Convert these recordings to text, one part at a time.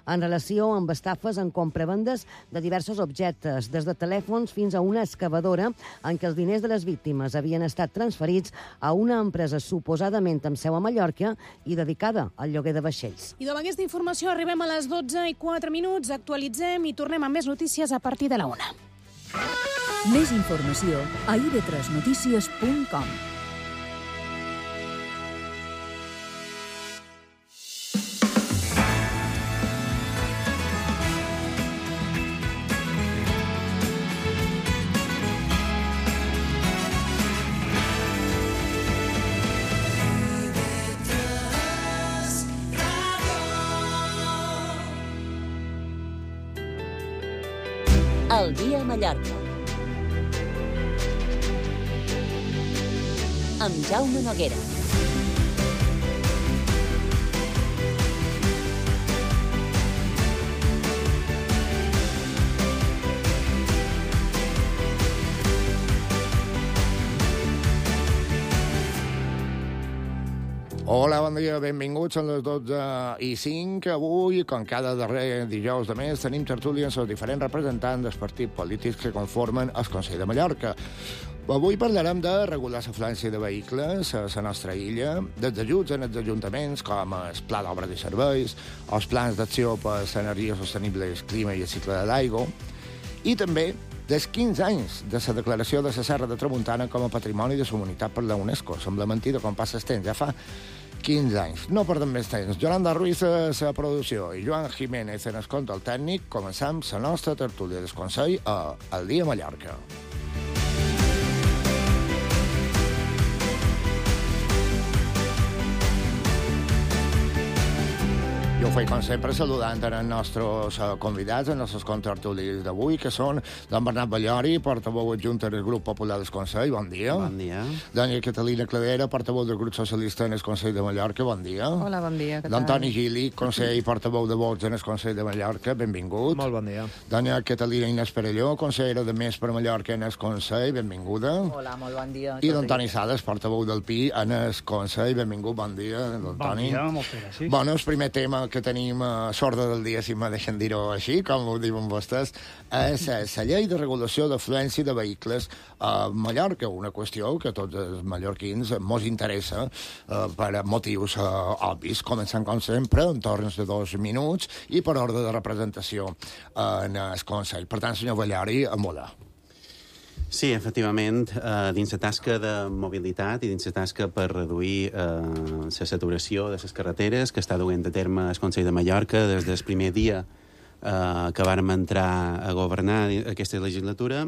en relació amb estafes en compravendes de diversos objectes, des de telèfons fins a una excavadora en què els diners de les víctimes havien estat transferits a una empresa suposadament amb seu a Mallorca i dedicada al lloguer de vaixells. I amb aquesta informació arribem a les 12:04, actualitzem i tornem amb més notícies a partir de la 1. Més informació a ib3notícies.com. El dia a Mallorca. Amb Jaume Noguera. Hola, bon dia, benvinguts a les 12:05. Avui, com cada darrer dijous de mes, tenim tertúlies amb els diferents representants dels partits polítics que conformen el Consell de Mallorca. Avui parlarem de regular l'afluència de vehicles a la nostra illa, dels ajuts en els ajuntaments, com el Pla d'Obres i Serveis, els plans d'acció per l'energia sostenible, el clima i el cicle de l'aigua, i també dels 15 anys de la declaració de la Serra de Tramuntana com a Patrimoni de la Humanitat per la UNESCO. Sembla mentida com passa el temps, ja fa 15 anys. No perdem més temps. Yolanda Ruiz a la producció i Joan Jiménez en el control tècnic. Començam la nostra tertúlia del Consell a El Dia a Mallorca. Jo ho faig, com sempre, saludant els nostres convidats, els nostres contertulis d'avui, que són don Bernat Ballori, portaveu adjunt del grup popular del Consell, bon dia. Bon dia. Doña Catalina Cladera, portaveu del grup socialista en el Consell de Mallorca, bon dia. Hola, bon dia, què tal? Don Toni Gili, conseller i portaveu de Vots en el Consell de Mallorca, benvingut. Molt bon dia. Doña Catalina Inés Perelló, consellera de Més per Mallorca en el Consell, benvinguda. Hola, molt bon dia. I don Toni Sales, portaveu del PI en el Consell, benvingut, bon dia, don Toni. Bon dia, moltes gràcies. Bueno, el primer tema que tenim a sorda del dia, si me deixen dir-ho així, com ho diuen vostès, és la llei de regulació d'afluència de vehicles a Mallorca, una qüestió que a tots els mallorquins mos interessa per motius obvis. Començant, com sempre, en torns de 2 minuts i per ordre de representació en el Consell. Per tant, senyor Ballori, a volar. Sí, efectivament, dins la tasca de mobilitat i dins la tasca per reduir la saturació de les carreteres que està duent a terme el Consell de Mallorca des del primer dia que vàrem entrar a governar aquesta legislatura,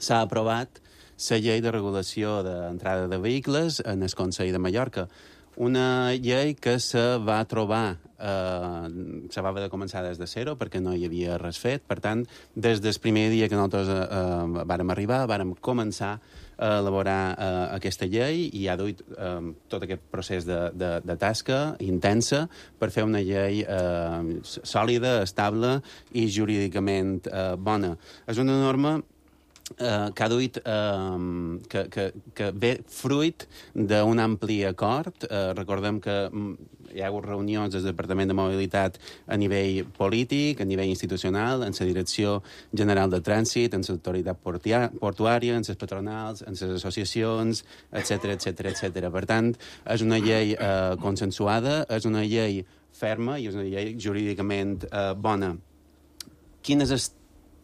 s'ha aprovat la llei de regulació d'entrada de vehicles en el Consell de Mallorca. Una llei que se va trobar, se va haver de començar des de zero perquè no hi havia res fet. Per tant, des del primer dia que nosaltres vàrem arribar, vàrem començar a elaborar aquesta llei i ha duit tot aquest procés de tasca intensa per fer una llei sòlida, estable i jurídicament bona. És una norma que ha duit, que ve fruit d'un ampli acord. Recordem que hi ha hagut reunions del Departament de Mobilitat a nivell polític, a nivell institucional, en la Direcció General de Trànsit, en l'autoritat portuària, en les patronals, en les associacions, etc. Per tant, és una llei consensuada, és una llei ferma i és una llei jurídicament bona. Quin és el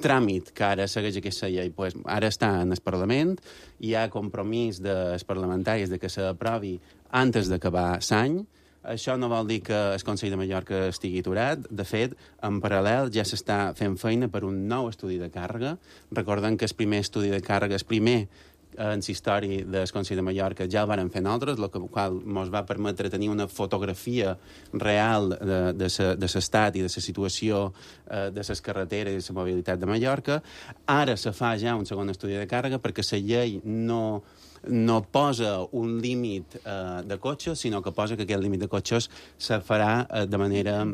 tràmit que ara segueix aquesta llei? Pues ara està en el Parlament, hi ha compromís dels parlamentaris de que s'aprovi antes d'acabar l'any. Això no vol dir que el Consell de Mallorca estigui aturat. De fet, en paral·lel ja s'està fent feina per un nou estudi de càrrega. Recordem que el primer estudi de càrrega, el primer en la història del Consell de Mallorca, ja el varen fer nosaltres, el qual ens va permetre tenir una fotografia real de l'estat i de la situació de les carreteres i de la mobilitat de Mallorca. Ara se fa ja un segon estudi de càrrega perquè la llei no posa un límit de cotxes, sinó que posa que aquest límit de cotxes se farà de manera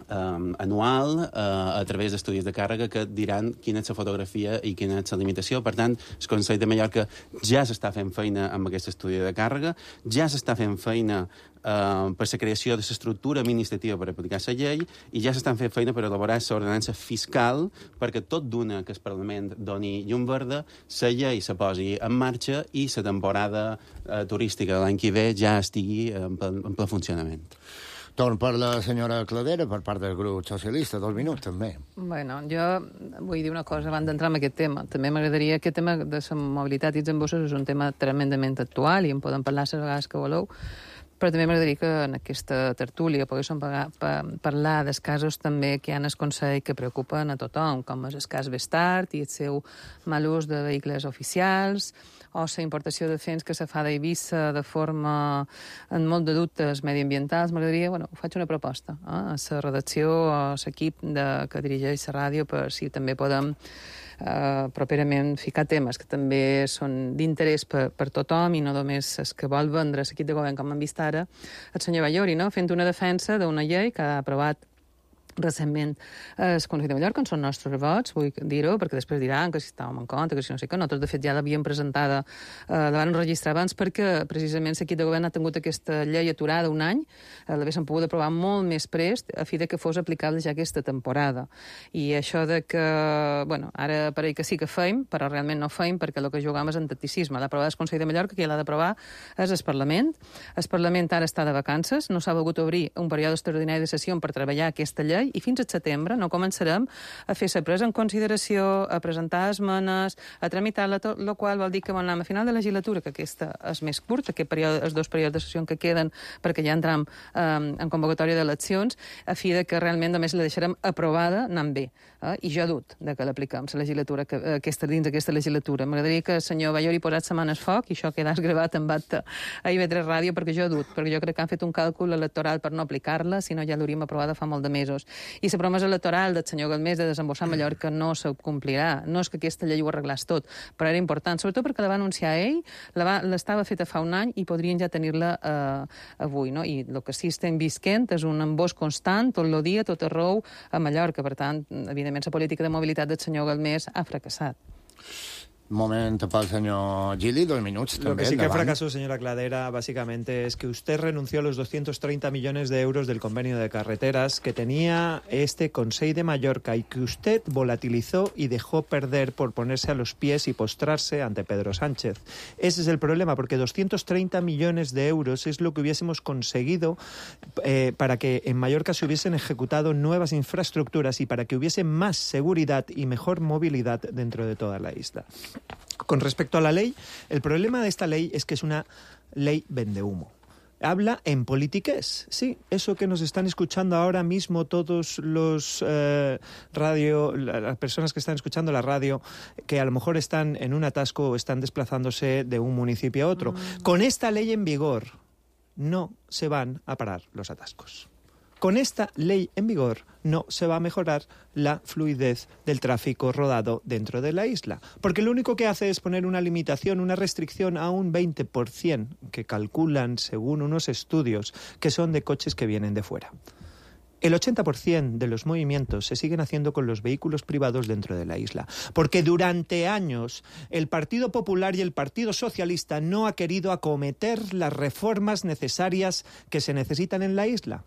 anual a través d'estudis de càrrega que diran quina és la fotografia i quina és la limitació. Per tant, el Consell de Mallorca ja s'està fent feina amb aquest estudi de càrrega, ja s'està fent feina per la creació de l'estructura administrativa per aplicar la llei i ja s'estan fent feina per elaborar l'ordenança fiscal perquè tot d'una que el Parlament doni llum verda, la llei se posi en marxa i la temporada turística de l'any que ve ja estigui en ple funcionament. Torn per la senyora Cladera, per part del grup socialista. 2 minuts, també. Bueno, jo vull dir una cosa abans d'entrar en aquest tema. També m'agradaria... Aquest tema de la mobilitat i els embossos és un tema tremendament actual i en podem parlar les vegades que voleu, però també m'agradaria que en aquesta tertúlia poguéssim parlar dels casos també que hi ha en el Consell que preocupen a tothom, com és el cas Bestart i el seu mal ús de vehicles oficials, o la importació de fens que se fa d'Eivissa de forma amb molt de dubtes mediambientals. M'agradaria, faig una proposta a la redacció, a l'equip que dirigeix la ràdio, per si també podem properament ficar temes que també són d'interès per tothom i no només els que vol vendre l'equip de govern, com hem vist ara el senyor Ballori, no? Fent una defensa d'una llei que ha aprovat recentment el Consell de Mallorca, en són nostres vots, vull dir-ho, perquè després diran que si estàvem en compte, que si no sé què. Nosaltres, de fet, ja l'havíem presentada, la van registrar abans perquè, precisament, l'equip de govern ha tingut aquesta llei aturada un any, l'haguessin pogut aprovar molt més prest, a fi de que fos aplicable ja aquesta temporada. I això de que, ara pareix que sí que feim, però realment no feim, perquè el que jugam és en tacticisme. L'ha aprovat el Consell de Mallorca, que ja l'ha d'aprovar és el Parlament. El Parlament ara està de vacances, no s'ha volgut obrir un període extraordinari de sessió per treballar aquesta llei, i fins al setembre no començarem a fer la presa en consideració, a presentar esmenes, a tramitar-la, tot el qual vol dir que a final de legislatura, que aquesta és més curta, els 2 períodes de sessió que queden, perquè ja entrem en convocatòria d'eleccions, a fi de que realment només la deixarem aprovada anant bé. I jo dut que l'apliquem, la legislatura, dins d'aquesta legislatura. M'agradaria que el senyor Ballori posat sa mà al foc, i això quedàs gravat en acte a IB3 Ràdio, perquè jo dut, perquè jo crec que han fet un càlcul electoral per no aplicar-la, si no ja l'hauríem aprovada fa molt de mesos. I la promesa electoral del senyor Galmés de desembossar Mallorca no se complirà. No és que aquesta llei ho arreglés tot, però era important, sobretot perquè la va anunciar ell, l'estava feta fa un any i podrien ja tenir-la avui, no? I el que sí estem visquent és un embós constant, tot el dia, tot arreu, a Mallorca. Per tant, evidentment, la política de mobilitat del senyor Galmés ha fracassat. Momento para el señor Gili, 2 minutos. Lo que sí que fracasó, señora Cladera, básicamente es que usted renunció a los 230 millones de euros del convenio de carreteras que tenía este Consell de Mallorca y que usted volatilizó y dejó perder por ponerse a los pies y postrarse ante Pedro Sánchez. Ese es el problema, porque 230 millones de euros es lo que hubiésemos conseguido para que en Mallorca se hubiesen ejecutado nuevas infraestructuras y para que hubiese más seguridad y mejor movilidad dentro de toda la isla. Con respecto a la ley, el problema de esta ley es que es una ley vendehumo. Habla en politiqués, sí, eso que nos están escuchando ahora mismo todos los las personas que están escuchando la radio, que a lo mejor están en un atasco o están desplazándose de un municipio a otro. Con esta ley en vigor no se van a parar los atascos. Con esta ley en vigor no se va a mejorar la fluidez del tráfico rodado dentro de la isla, porque lo único que hace es poner una limitación, una restricción a un 20%, que calculan según unos estudios que son de coches que vienen de fuera. El 80% de los movimientos se siguen haciendo con los vehículos privados dentro de la isla, porque durante años el Partido Popular y el Partido Socialista no ha querido acometer las reformas necesarias que se necesitan en la isla,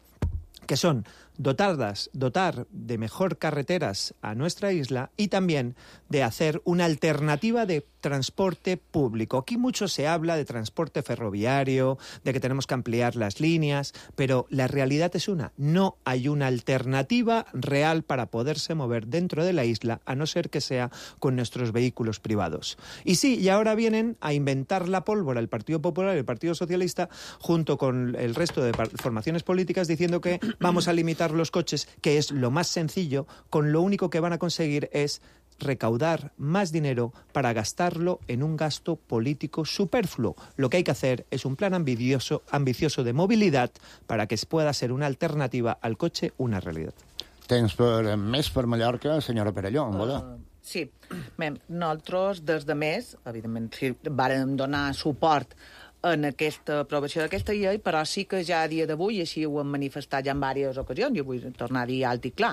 que son dotar de mejor carreteras a nuestra isla y también de hacer una alternativa de transporte público. Aquí mucho se habla de transporte ferroviario, de que tenemos que ampliar las líneas, pero la realidad es una. No hay una alternativa real para poderse mover dentro de la isla, a no ser que sea con nuestros vehículos privados. Y sí, y ahora vienen a inventar la pólvora el Partido Popular y el Partido Socialista, junto con el resto de formaciones políticas, diciendo que vamos a limitar los coches, que es lo más sencillo, con lo único que van a conseguir es recaudar más dinero para gastarlo en un gasto político superfluo. Lo que hay que hacer es un plan ambicioso de movilidad para que pueda ser una alternativa al coche una realidad. Temps més per Mallorca, senyora Perelló, Sí, nosaltres des de més, evidentment, sí, vàrem donar suport en aquesta aprovació d'aquesta llei, però sí que ja a dia d'avui, i així ho hem manifestat ja en diverses ocasions, jo vull tornar a dir alt i clar,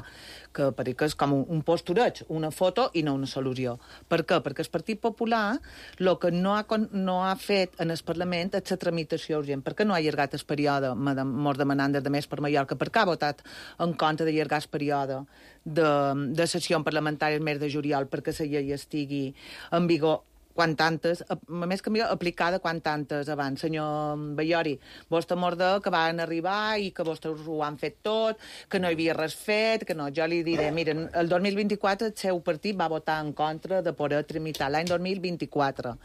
que perquè és com un postureig, una foto i no una solució. Per què? Perquè el Partit Popular el que no ha fet en el Parlament és la tramitació urgent. Per què no ha allargat el període, mos demanant des de més per Mallorca? Per què ha votat en contra d'allargar el període de sessió parlamentària el mes de juliol perquè la llei estigui en vigor quan tantes, a més que millor, aplicada quan tantes abans. Senyor Baiori, vostè morda que van arribar i que vostès ho han fet tot, que no hi havia res fet, que no. Jo li diré, miren, el 2024 el seu partit va votar en contra de poder tramitar l'any 2024.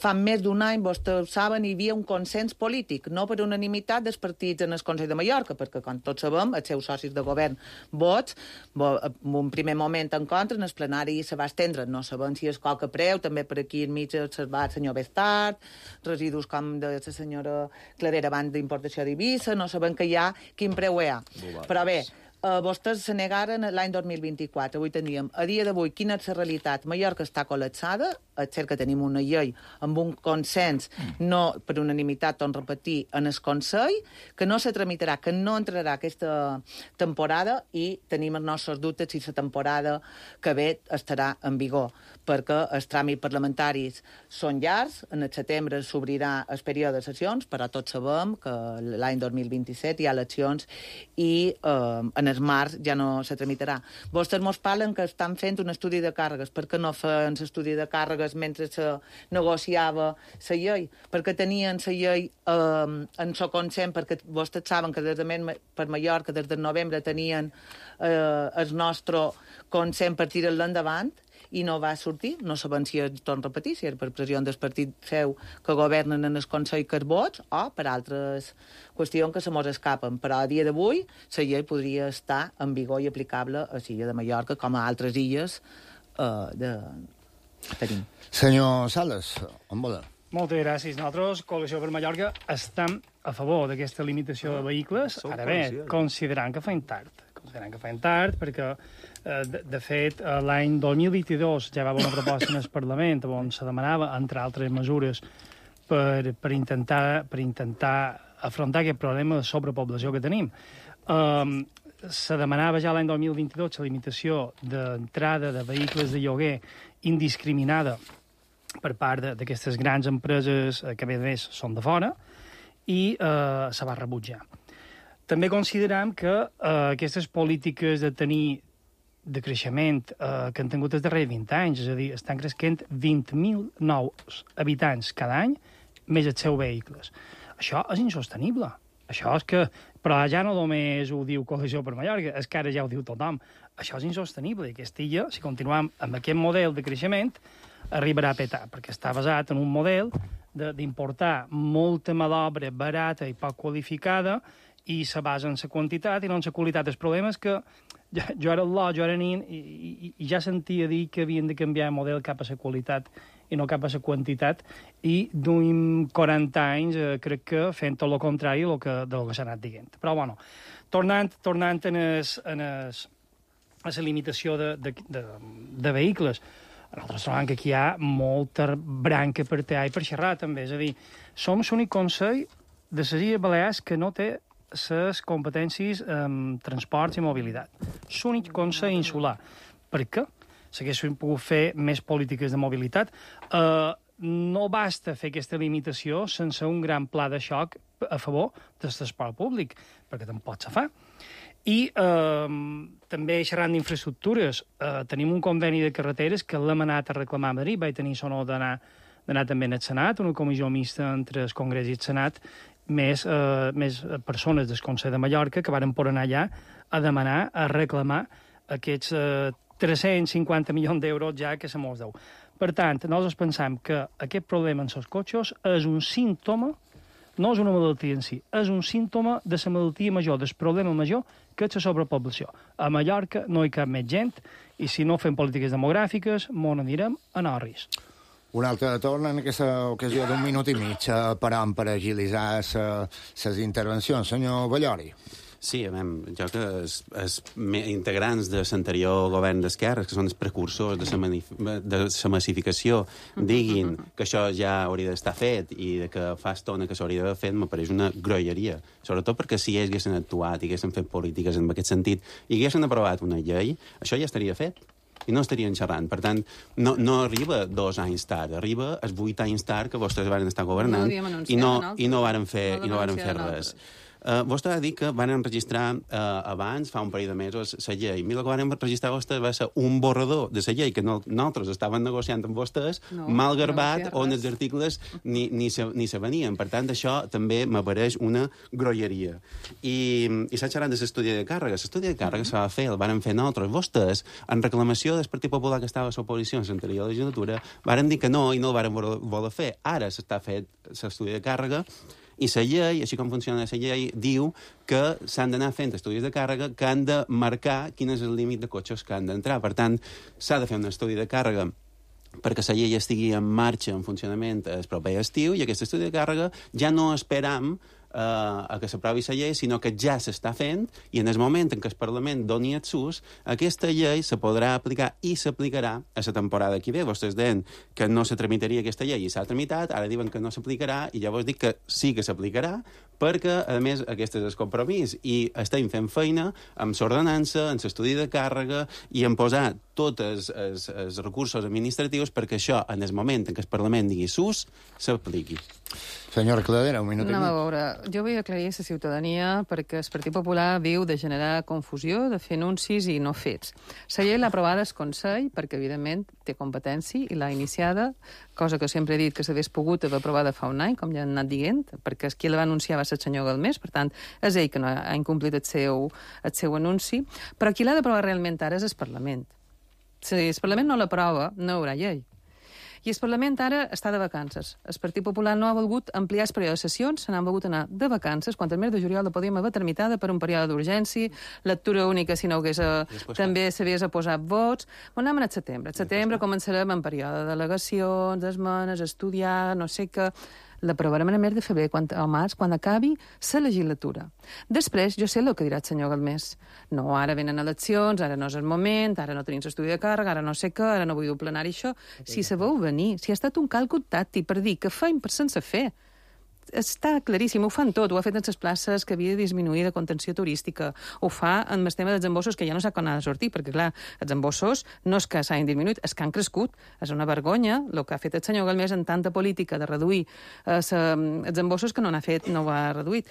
Fa més d'un any, vostès saben, hi havia un consens polític, no per unanimitat dels partits en el Consell de Mallorca, perquè, com tots sabem, els seus socis de govern vots, en un primer moment en contra, en el plenari se va estendre, no sabem si és coca preu, també per aquí enmig va el senyor Bestart, residus com de la senyora Cladera abans d'importació d'Eivissa, no sabem que hi ha quin preu hi ha. Però bé, vostès se negaren l'any 2024. Avui teníem, a dia d'avui, quina és la realitat? Mallorca està col·lapsada, és cert que tenim una llei amb un consens, no per unanimitat, torno a repetir, en el Consell, que no se tramitarà, que no entrarà aquesta temporada i tenim els nostres dubtes si la temporada que ve estarà en vigor, perquè els tràmits parlamentaris són llargs, en el setembre s'obrirà el període de sessions, però tots sabem que l'any 2027 hi ha eleccions i en el març ja no se tramitarà. Vostès mos parlen que estan fent un estudi de càrregues. Per què no feien l'estudi de càrregues mentre se negociava la llei? Perquè tenien la llei en so consent, perquè vostès saben que des de per Mallorca, des de novembre, tenien el nostre consent per tirar-lo endavant, i no va sortir, no sabem si es torna a repetir, si és per pressió del partit seu que governen en el Consell que els vots o per altres qüestions que se mos escapen. Però a dia d'avui la llei podria estar en vigor i aplicable a l'illa de Mallorca com a altres illes tenim. Senyor Sales, on volen? Moltes gràcies. Nosaltres, Coalició per Mallorca, estem a favor d'aquesta limitació de vehicles, ara bé, considerant que feien tard, perquè, de fet, l'any 2022 ja va haver una proposta en el Parlament on se demanava, entre altres mesures, per intentar afrontar aquest problema de sobrepoblació que tenim. Se demanava ja l'any 2022 la limitació d'entrada de vehicles de lloguer indiscriminada per part d'aquestes grans empreses que a més són de fora i se va rebutjar. També considerem que aquestes polítiques de creixement que han tingut els darrers 20 anys, és a dir, estan creixent 20.000 nous habitants cada any, més els seus vehicles. Això és insostenible. Això és que... Però ja no només ho diu Coalició per Mallorca, és que ara ja ho diu tothom. Això és insostenible. I aquesta illa, si continuem amb aquest model de creixement, arribarà a petar, perquè està basat en un model d'importar molta mà d'obra barata i poc qualificada i se basa en la quantitat i no en la qualitat. El problema és que jo era nin i ja sentia dir que havien de canviar el model cap a la qualitat i no cap a la quantitat, i d'un 40 anys crec que fent tot el contrari del que s'ha anat dient. Però, bueno, tornant a la limitació de vehicles, nosaltres trobem que aquí hi ha molta branca per tallar i per xerrar, també. És a dir, som l'únic Consell de les Illes Balears que no té les competències en transports i mobilitat. L'únic Consell insular. Per què? S'haguessin pogut fer més polítiques de mobilitat. No basta fer aquesta limitació sense un gran pla de xoc a favor del transport públic, perquè tampoc se fa. I també xerrant d'infraestructures, tenim un conveni de carreteres que l'hem anat a reclamar a Madrid, vaig tenir sonor d'anar també al Senat, una comissió mixta entre el Congrés i el Senat, més persones del Consell de Mallorca que varen por anar allà a demanar, a reclamar aquests 350 milions d'euros ja que se mos deu. Per tant, nosaltres pensem que aquest problema en els cotxes és un símptoma, no és una malaltia en si, és un símptoma de la malaltia major, del problema major, que és la sobrepoblació. A Mallorca no hi cap més gent i si no fem polítiques demogràfiques, mos n'anirem a Norris. Un altre torn en aquesta ocasió d'1 minut i mig per agilitzar les intervencions. Senyor Baiori. Sí, jo que els integrants de l'anterior govern d'esquerres, que són els precursors de la massificació, diguin que això ja hauria d'estar fet i que fa estona que s'hauria d'haver fet, m'apareix una groilleria. Sobretot perquè si ells haguessin actuat i haguessin fet polítiques en aquest sentit i haguessin aprovat una llei, això ja estaria fet i no estarien xerrant. Per tant, no arriba 2 anys tard, arriba els 8 anys tard que vostès van estar governant i no varen fer res. Vostè ha dit que van enregistrar abans, fa un parell de mesos, la llei. El que van registrar vostès va ser un borrador de la llei que nosaltres estaven negociant amb vostès, mal garbat, on els articles ni se venien. Per tant, això també m'apareix una groilleria. I s'ha xerrat de l'estudi de càrrega. L'estudi de càrrega s'ha de fer, el van fer nosaltres. Vostès, en reclamació del Partit Popular que estava a l'oposició en l'anterior legislatura, van dir que no i no el van voler fer. Ara s'està fet l'estudi de càrrega i la llei, així com funciona la llei, diu que s'han d'anar fent estudis de càrrega que han de marcar quin és el límit de cotxes que han d'entrar. Per tant, s'ha de fer un estudi de càrrega perquè la llei estigui en marxa, en funcionament el proper estiu, i aquest estudi de càrrega ja no esperam a que s'aprovi la llei, sinó que ja s'està fent, i en el moment en què el Parlament doni el sus, aquesta llei se podrà aplicar i s'aplicarà a la temporada que ve. Vostès deien que no se tramitaria aquesta llei i s'ha tramitat, ara diuen que no s'aplicarà, i llavors dic que sí que s'aplicarà, perquè, a més, aquest és el compromís, i estem fent feina amb l'ordenança, amb l'estudi de càrrega, i en posar tots els recursos administratius perquè això, en el moment en què el Parlament digui sus, s'apliqui. Senyora Cladera, un minut i mig. A veure, jo vull aclarir a la ciutadania perquè el Partit Popular viu de generar confusió, de fer anuncis i no fets. La llei l'ha aprovada el Consell perquè, evidentment, té competència i l'ha iniciada, cosa que sempre he dit que s'hagués pogut haver aprovada fa un any, com ja han anat dient, perquè qui la va anunciar va ser el senyor Galmés, per tant, és ell que no ha incomplit el seu anunci, però qui l'ha d'aprovar realment ara és el Parlament. Si el Parlament no l'aprova, no hi haurà llei. I el Parlament ara està de vacances. El Partit Popular no ha volgut ampliar el període de sessions, se n'han volgut anar de vacances, quan el mes de juliol la podíem haver tramitada per un període d'urgència, lectura única si no hagués... també s'hagués posat vots. On anem al setembre? Al setembre començarem en període de delegacions, d'esmenes, estudiar, no sé què... L'aprovarem en el mes de febrer o març, quan acabi la legislatura. Després, jo sé el que dirà el senyor Galmés. No, ara venen eleccions, ara no és el moment, ara no tenim estudi de càrrega, ara no sé què, ara no vull dur plenari això. Si sabeu venir, si ha estat un càlcul tàctic per dir que feim per sense fer. Està claríssim, ho fan tot, ho ha fet en les places que havia de disminuir de contenció turística, ho fa en el tema dels embossos, que ja no sap quan ha de sortir, perquè clar, els embossos no és que s'hagin disminuït, és que han crescut, és una vergonya el que ha fet el senyor Galmés en tanta política de reduir els embossos que no n'ha fet, no ho ha reduït.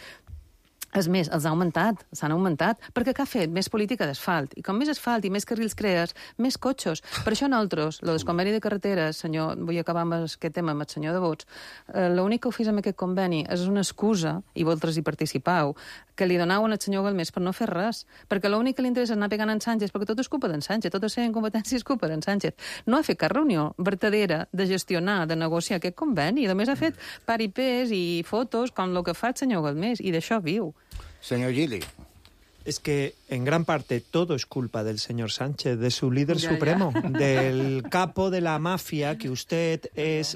És més, els ha augmentat, s'han augmentat, perquè què ha fet? Més política d'asfalt. I com més asfalt i més carrils crees, més cotxos. Per això nosaltres, el conveni de carreteres, senyor, vull acabar amb aquest tema amb el senyor de Vots, l'únic que ho fes amb aquest conveni és una excusa, i vosaltres hi participau, que li donaven al senyor Galmés per no fer res. Perquè l'únic que li interessa és anar pegant en Sánchez, perquè tot és culpa d'en Sánchez, tota la seva incompetència és culpa d'en Sánchez. No ha fet cap reunió vertadera de gestionar, de negociar aquest conveni, i només ha fet paripés i fotos com el que fa el senyor Galmés, i d'això viu. Señor Gili. Es que en gran parte todo es culpa del señor Sánchez, de su líder supremo, del capo de la mafia que usted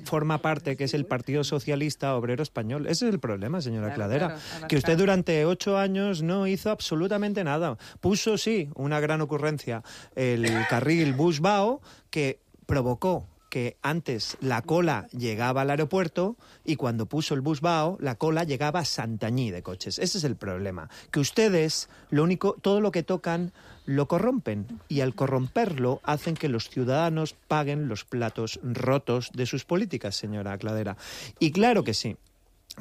forma parte, que es el Partido Socialista Obrero Español. Ese es el problema, señora Cladera, que usted durante 8 años no hizo absolutamente nada. Puso, sí, una gran ocurrencia, el carril Bus-Bao, que provocó que antes la cola llegaba al aeropuerto y cuando puso el Bus-Bao, la cola llegaba a Santanyí de coches. Ese es el problema. Que ustedes, todo lo que tocan, lo corrompen. Y al corromperlo, hacen que los ciudadanos paguen los platos rotos de sus políticas, señora Cladera. Y claro que sí,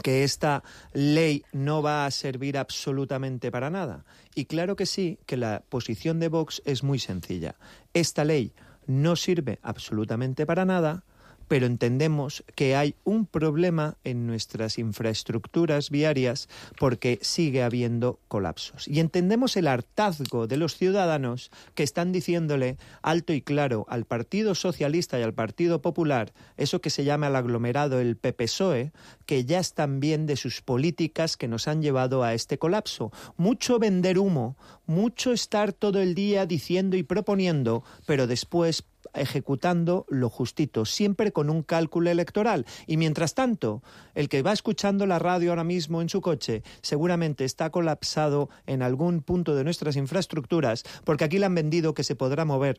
que esta ley no va a servir absolutamente para nada. Y claro que sí, que la posición de Vox es muy sencilla. Esta ley no sirve absolutamente para nada, pero entendemos que hay un problema en nuestras infraestructuras viarias porque sigue habiendo colapsos. Y entendemos el hartazgo de los ciudadanos que están diciéndole alto y claro al Partido Socialista y al Partido Popular, eso que se llama el aglomerado, el PP-PSOE, que ya están bien de sus políticas que nos han llevado a este colapso. Mucho vender humo, mucho estar todo el día diciendo y proponiendo, pero después ejecutando lo justito, siempre con un cálculo electoral. Y mientras tanto, el que va escuchando la radio ahora mismo en su coche seguramente está colapsado en algún punto de nuestras infraestructuras, porque aquí le han vendido que se podrá mover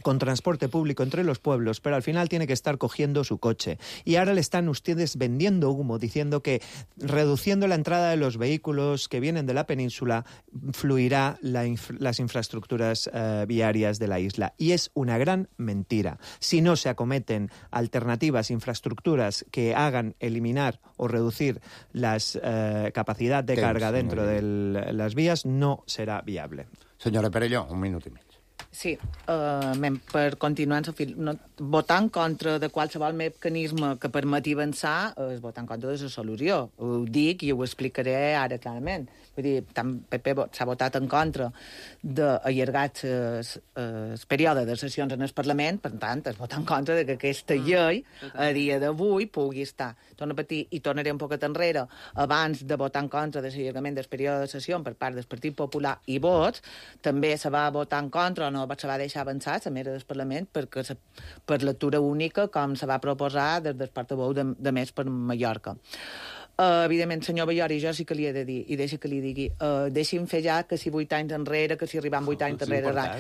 con transporte público entre los pueblos, pero al final tiene que estar cogiendo su coche. Y ahora le están ustedes vendiendo humo, diciendo que reduciendo la entrada de los vehículos que vienen de la península, fluirá las infraestructuras viarias de la isla. Y es una gran mentira. Si no se acometen alternativas, infraestructuras que hagan eliminar o reducir la capacidad de carga dentro de las vías, no serà viable. Senyora Perelló, un minut i mig. Sí, per continuar, votar en contra de qualsevol mecanisme que permeti avançar és votar en contra de la solució. Ho dic i ho explicaré ara clarament. Vull dir, tant PP s'ha votat en contra d'allargar el període de sessions en el Parlament, per tant, es vota en contra de que aquesta llei a dia d'avui pugui estar. Torno a repetir, i tornaré un poquet enrere, abans de votar en contra de l'allargament del període de sessió per part del Partit Popular i Vots, també se va votar en contra o no se va deixar avançar la mesa del Parlament per lectura única, com se va proposar des del portaveu de Més per Mallorca. Evidentment, senyor Ballori, jo sí que li he de dir, i deixa que li digui, deixi'm fer ja que si 8 anys enrere, que si arribem 8 anys enrere, la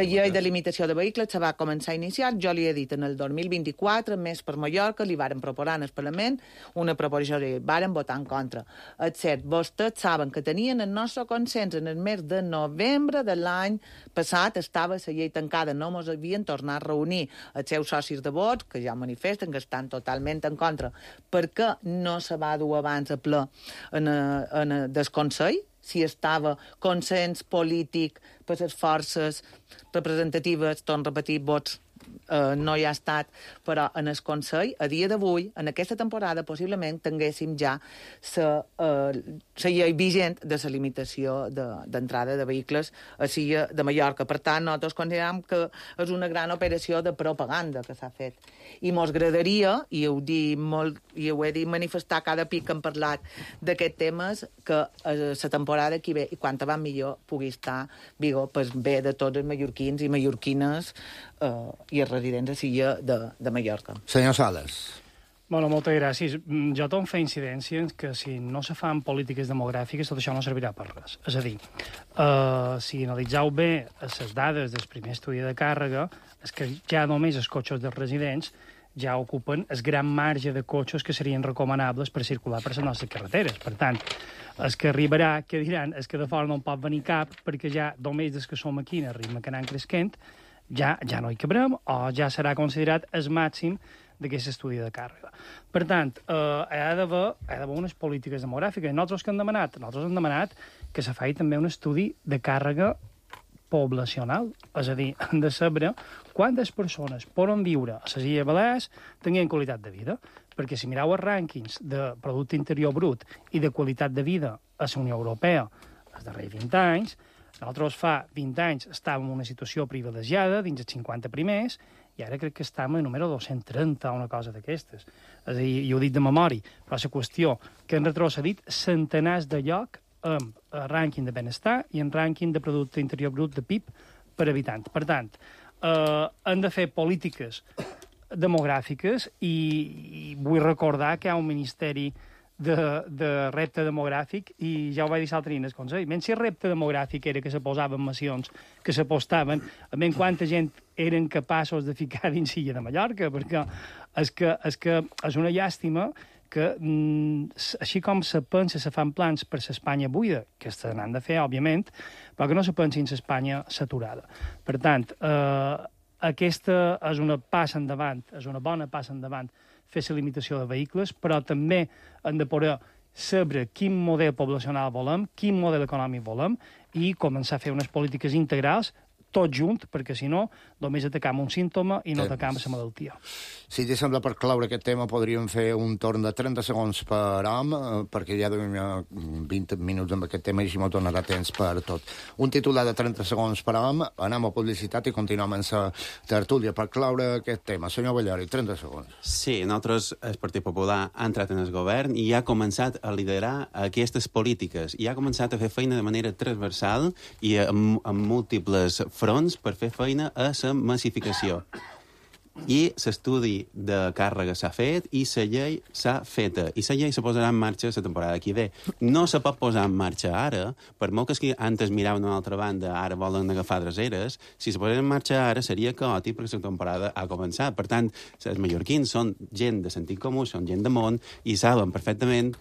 llei de limitació de vehicles se va començar a iniciar, jo li he dit, en el 2024, Més per Mallorca, li varen proposar en el Parlament una proposició de llei, varen votar en contra. És cert, vostès saben que tenien el nostre consens en el mes de novembre de l'any passat, estava la llei tancada, no ens havien tornat a reunir els seus socis de vots, que ja manifesten que estan totalment en contra, perquè no se va dur abans a ple del Consell, si estava consens polític per les forces representatives, torno a repetir, vots no hi ha estat, però en el Consell, a dia d'avui, en aquesta temporada, possiblement tinguéssim ja la llei vigent de la limitació d'entrada de vehicles a Silla de Mallorca. Per tant, nosaltres considerem que és una gran operació de propaganda que s'ha fet. I mos agradaria, i ho he dit manifestar cada pic que hem parlat d'aquests temes, que la temporada que ve, i quant abans millor, pugui estar vigor per bé de tots els mallorquins i mallorquines i els residents a Silla de Mallorca. Senyor Sales. Bueno, moltes gràcies. Jo torno a fer incidència que si no se fan polítiques demogràfiques tot això no servirà per res. És a dir, si analitzeu bé les dades del primer estudi de càrrega, és que ja només els cotxes dels residents ja ocupen el gran marge de cotxes que serien recomanables per circular per les nostres carreteres. Per tant, el que arribarà, que diran, és que de fora no en pot venir cap, perquè ja només des que som aquí, en el ritme que anem creixent, ja no hi cabrem o ja serà considerat el màxim d'aquest estudi de càrrega. Per tant, hi ha d'haver unes polítiques demogràfiques. Nosaltres què hem demanat? Nosaltres hem demanat que se faci també un estudi de càrrega poblacional. És a dir, hem de saber quantes persones poden viure a les Illes Balears tenint qualitat de vida. Perquè si mireu els rànquings de Producte Interior Brut i de qualitat de vida a la Unió Europea els darrers 20 anys, nosaltres fa 20 anys estàvem en una situació privilegiada dins els 50 primers i ara crec que estem en número 230 o una cosa d'aquestes. És a dir, jo ho dic de memòria, però la qüestió que hem retrocedit centenars de lloc en rànquing de benestar i en rànquing de Producte Interior Brut de PIB per habitant. Per tant, hem de fer polítiques demogràfiques i vull recordar que hi ha un ministeri de repte demogràfic i ja ho vaig dir l'altre dia en el Consell. Menys si el repte demogràfic era que se posaven macions, que se postaven, a menys quanta gent eren capaços de ficar dins Silla de Mallorca, perquè és que és una llàstima que, així com se pensa, se fan plans per l'Espanya buida, que se n'han de fer, òbviament, però que no se pensin l'Espanya saturada. Per tant, aquesta és una passa endavant, és una bona passa endavant fer la limitació de vehicles, però també hem de poder saber quin model poblacional volem, quin model econòmic volem i començar a fer unes polítiques integrals tot junt, perquè si no, només atacam un símptoma i no atacam la malaltia. Si t'hi sembla, per cloure aquest tema, podríem fer un torn de 30 segons per home, perquè ja duim 20 minuts amb aquest tema i així m'ho donarà temps per tot. Un titular de 30 segons per home, anem a publicitat i continuem amb la tertúlia per cloure aquest tema. Senyor Ballori, 30 segons. Sí, nosaltres, el Partit Popular, ha entrat en el govern i ha començat a liderar aquestes polítiques i ha començat a fer feina de manera transversal i amb múltiples fronts per fer feina a la massificació. I l'estudi de càrrega s'ha fet i la llei s'ha feta. I la llei se posarà en marxa la temporada que ve. No se pot posar en marxa ara, per molt que antes miraven una altra banda, ara volen agafar dreseres, si se posarà en marxa ara seria caòtic perquè la temporada ha començat. Per tant, els mallorquins són gent de sentit comú, són gent de món i saben perfectament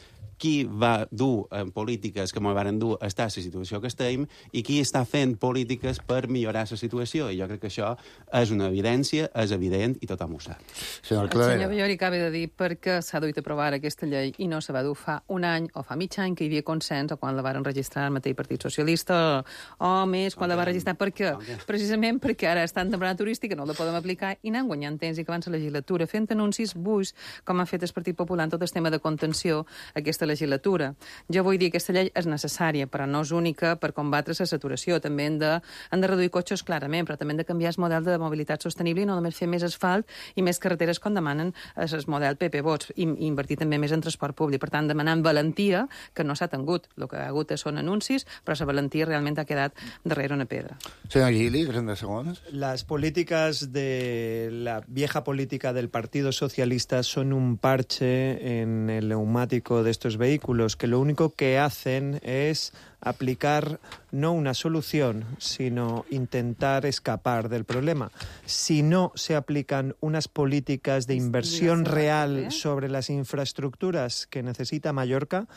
qui va dur en polítiques que ens van dur a estar a la situació que estem i qui està fent polítiques per millorar la situació. I jo crec que això és una evidència, és evident i tothom ho sap. El senyor Bellori acaba de dir per què s'ha duit a aprovar aquesta llei i no se va dur fa un any o fa mig any que hi havia consens o quan la van registrar el mateix Partit Socialista o més quan la va registrar. Per què? Precisament perquè ara està en temporada turística, no la podem aplicar i anem guanyant temps i que abans la legislatura fent anuncis buits com ha fet el Partit Popular en tot el tema de contenció aquesta legislatura. Jo vull dir que aquesta llei és necessària, però no és única per combatre la saturació. També hem de reduir cotxes clarament, però també hem de canviar el model de mobilitat sostenible i no només fer més asfalt i més carreteres com demanen el model PP Vots i invertir també més en transport públic. Per tant, demanant valentia, que no s'ha tingut. El que ha hagut són anuncis, però la valentia realment ha quedat darrere una pedra. Senyor Gili, 30 segons. Las políticas de la vieja política del Partido Socialista son un parche en el neumático de estos vehículos que lo único que hacen es aplicar no una solución, sino intentar escapar del problema. Si no se aplican unas políticas de inversión real sobre las infraestructuras que necesita Mallorca,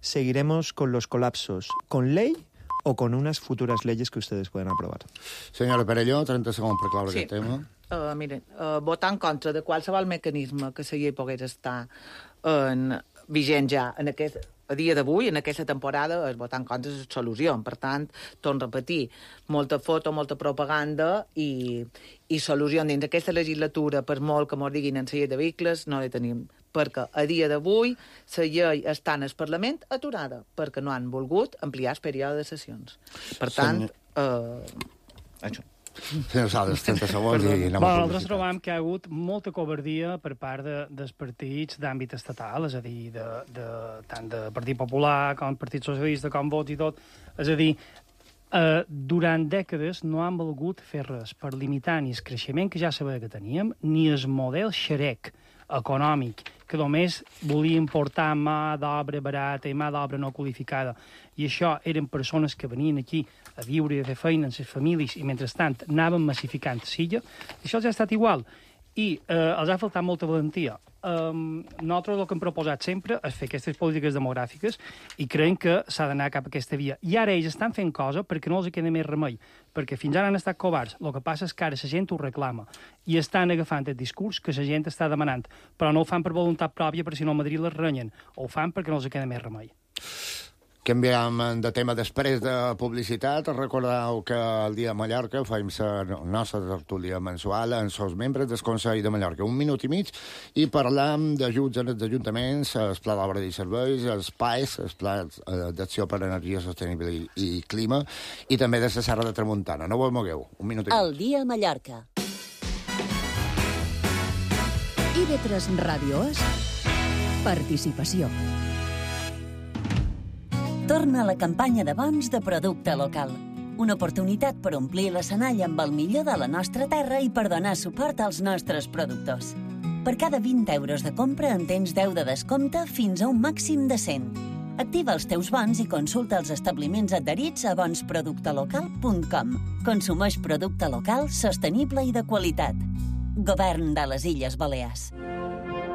seguiremos con los colapsos, con ley o con unas futuras leyes que ustedes puedan aprobar. Senyora Perelló, 30 segons per claure aquest tema. Miren, votar en contra de qualsevol mecanisme que la llei pogués estar vigent ja a dia d'avui, en aquesta temporada, és votar en contra de la solució. Per tant, torno a repetir, molta foto, molta propaganda i solució dins d'aquesta legislatura, per molt que ens diguin en la llei de vehicles, no la tenim. Perquè a dia d'avui la llei està en el Parlament aturada, perquè no han volgut ampliar el període de sessions. Per tant, això. Senyor Sales, 30 segons i anem a nosaltres trobam que hi ha hagut molta covardia per part dels partits d'àmbit estatal, és a dir, tant de Partit Popular com Partit Socialista, com Vots i tot. És a dir, durant dècades no han volgut fer res per limitar ni el creixement que ja sabia que teníem, ni el model xerec econòmic, que només volia importar mà d'obra barata i mà d'obra no qualificada. I això eren persones que venien aquí a viure i a fer feina amb les famílies i, mentrestant, anaven massificant l'illa. Això els ha estat igual. I els ha faltat molta valentia. Nosaltres el que hem proposat sempre és fer aquestes polítiques demogràfiques i creiem que s'ha d'anar cap a aquesta via. I ara ells estan fent cosa perquè no els queda més remei, perquè fins ara han estat covards. El que passa és que ara la gent ho reclama i estan agafant el discurs que la gent està demanant, però no ho fan per voluntat pròpia, perquè si no a Madrid les renyen, o ho fan perquè no els queda més remei. Canviem de tema després de publicitat. Recordeu que el dia de Mallorca fem la nostra tertúlia mensual amb els membres del Consell de Mallorca. 1 minut i mig i parlam d'ajuts en els ajuntaments, el pla d'obra i serveis, els PAES, el pla d'acció per energia sostenible i clima, i també de la Serra de Tramuntana. No vos mogueu. 1 minut i mig. El dia a Mallorca. IB3 Ràdio és participació. Torna a la campanya de bons de producte local. Una oportunitat per omplir l'escenari amb el millor de la nostra terra i per donar suport als nostres productors. Per cada 20 euros de compra en tens 10 de descompte fins a un màxim de 100. Activa els teus bons i consulta els establiments adherits a bonsproductelocal.com. Consumeix producte local, sostenible i de qualitat. Govern de les Illes Balears.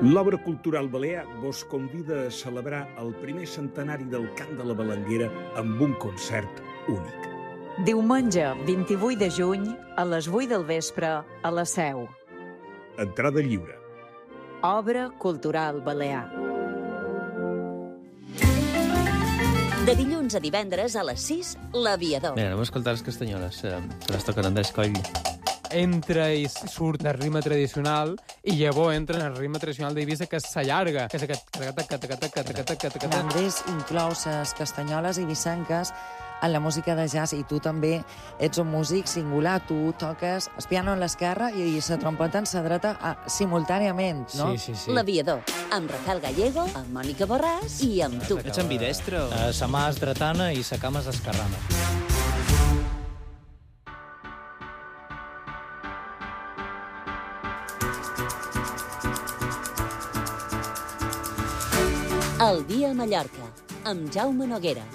L'Obra Cultural Balear vos convida a celebrar el primer centenari del Cant de la Balanguera amb un concert únic. Diumenge, 28 de juny, a les 8 del vespre, a la Seu. Entrada lliure. Obra Cultural Balear. De dilluns a divendres a les 6, l'Aviador. Mira, anem a escoltar les castanyoles, que les toquen Andrés Coll. Entra i surt el ritme tradicional i llavors entra en el ritme tradicional d'Eivissa, que s'allarga. Andrés inclou les castanyoles eivissenques en la música de jazz i tu també ets un músic singular. Tu toques el piano en l'esquerra i la trompeta en la dreta simultàniament, no? Sí. L'Aviador, amb Rafael Gallego, amb Mònica Borràs i amb tu. Ets ambidestre? Sa mà és dretana i sa cama és esquerrana. El dia a Mallorca, amb Jaume Noguera.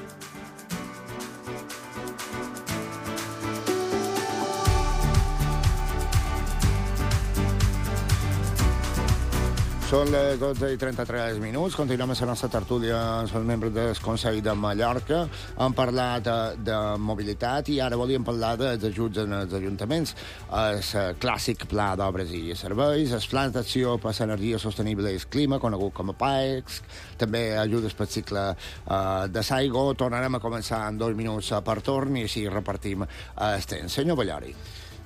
Són les 12:33. Continuem a la nostra tertúlia amb els membres del Consell de Mallorca. Hem parlat de mobilitat i ara volíem parlar dels ajuts als ajuntaments. El clàssic pla d'obres i serveis, els plans d'acció per l'energia sostenible i el clima, conegut com a PAEX, també ajudes per cicle de Saigo. Tornarem a començar en 2 minuts per torn i així repartim el temps. Senyor Ballori.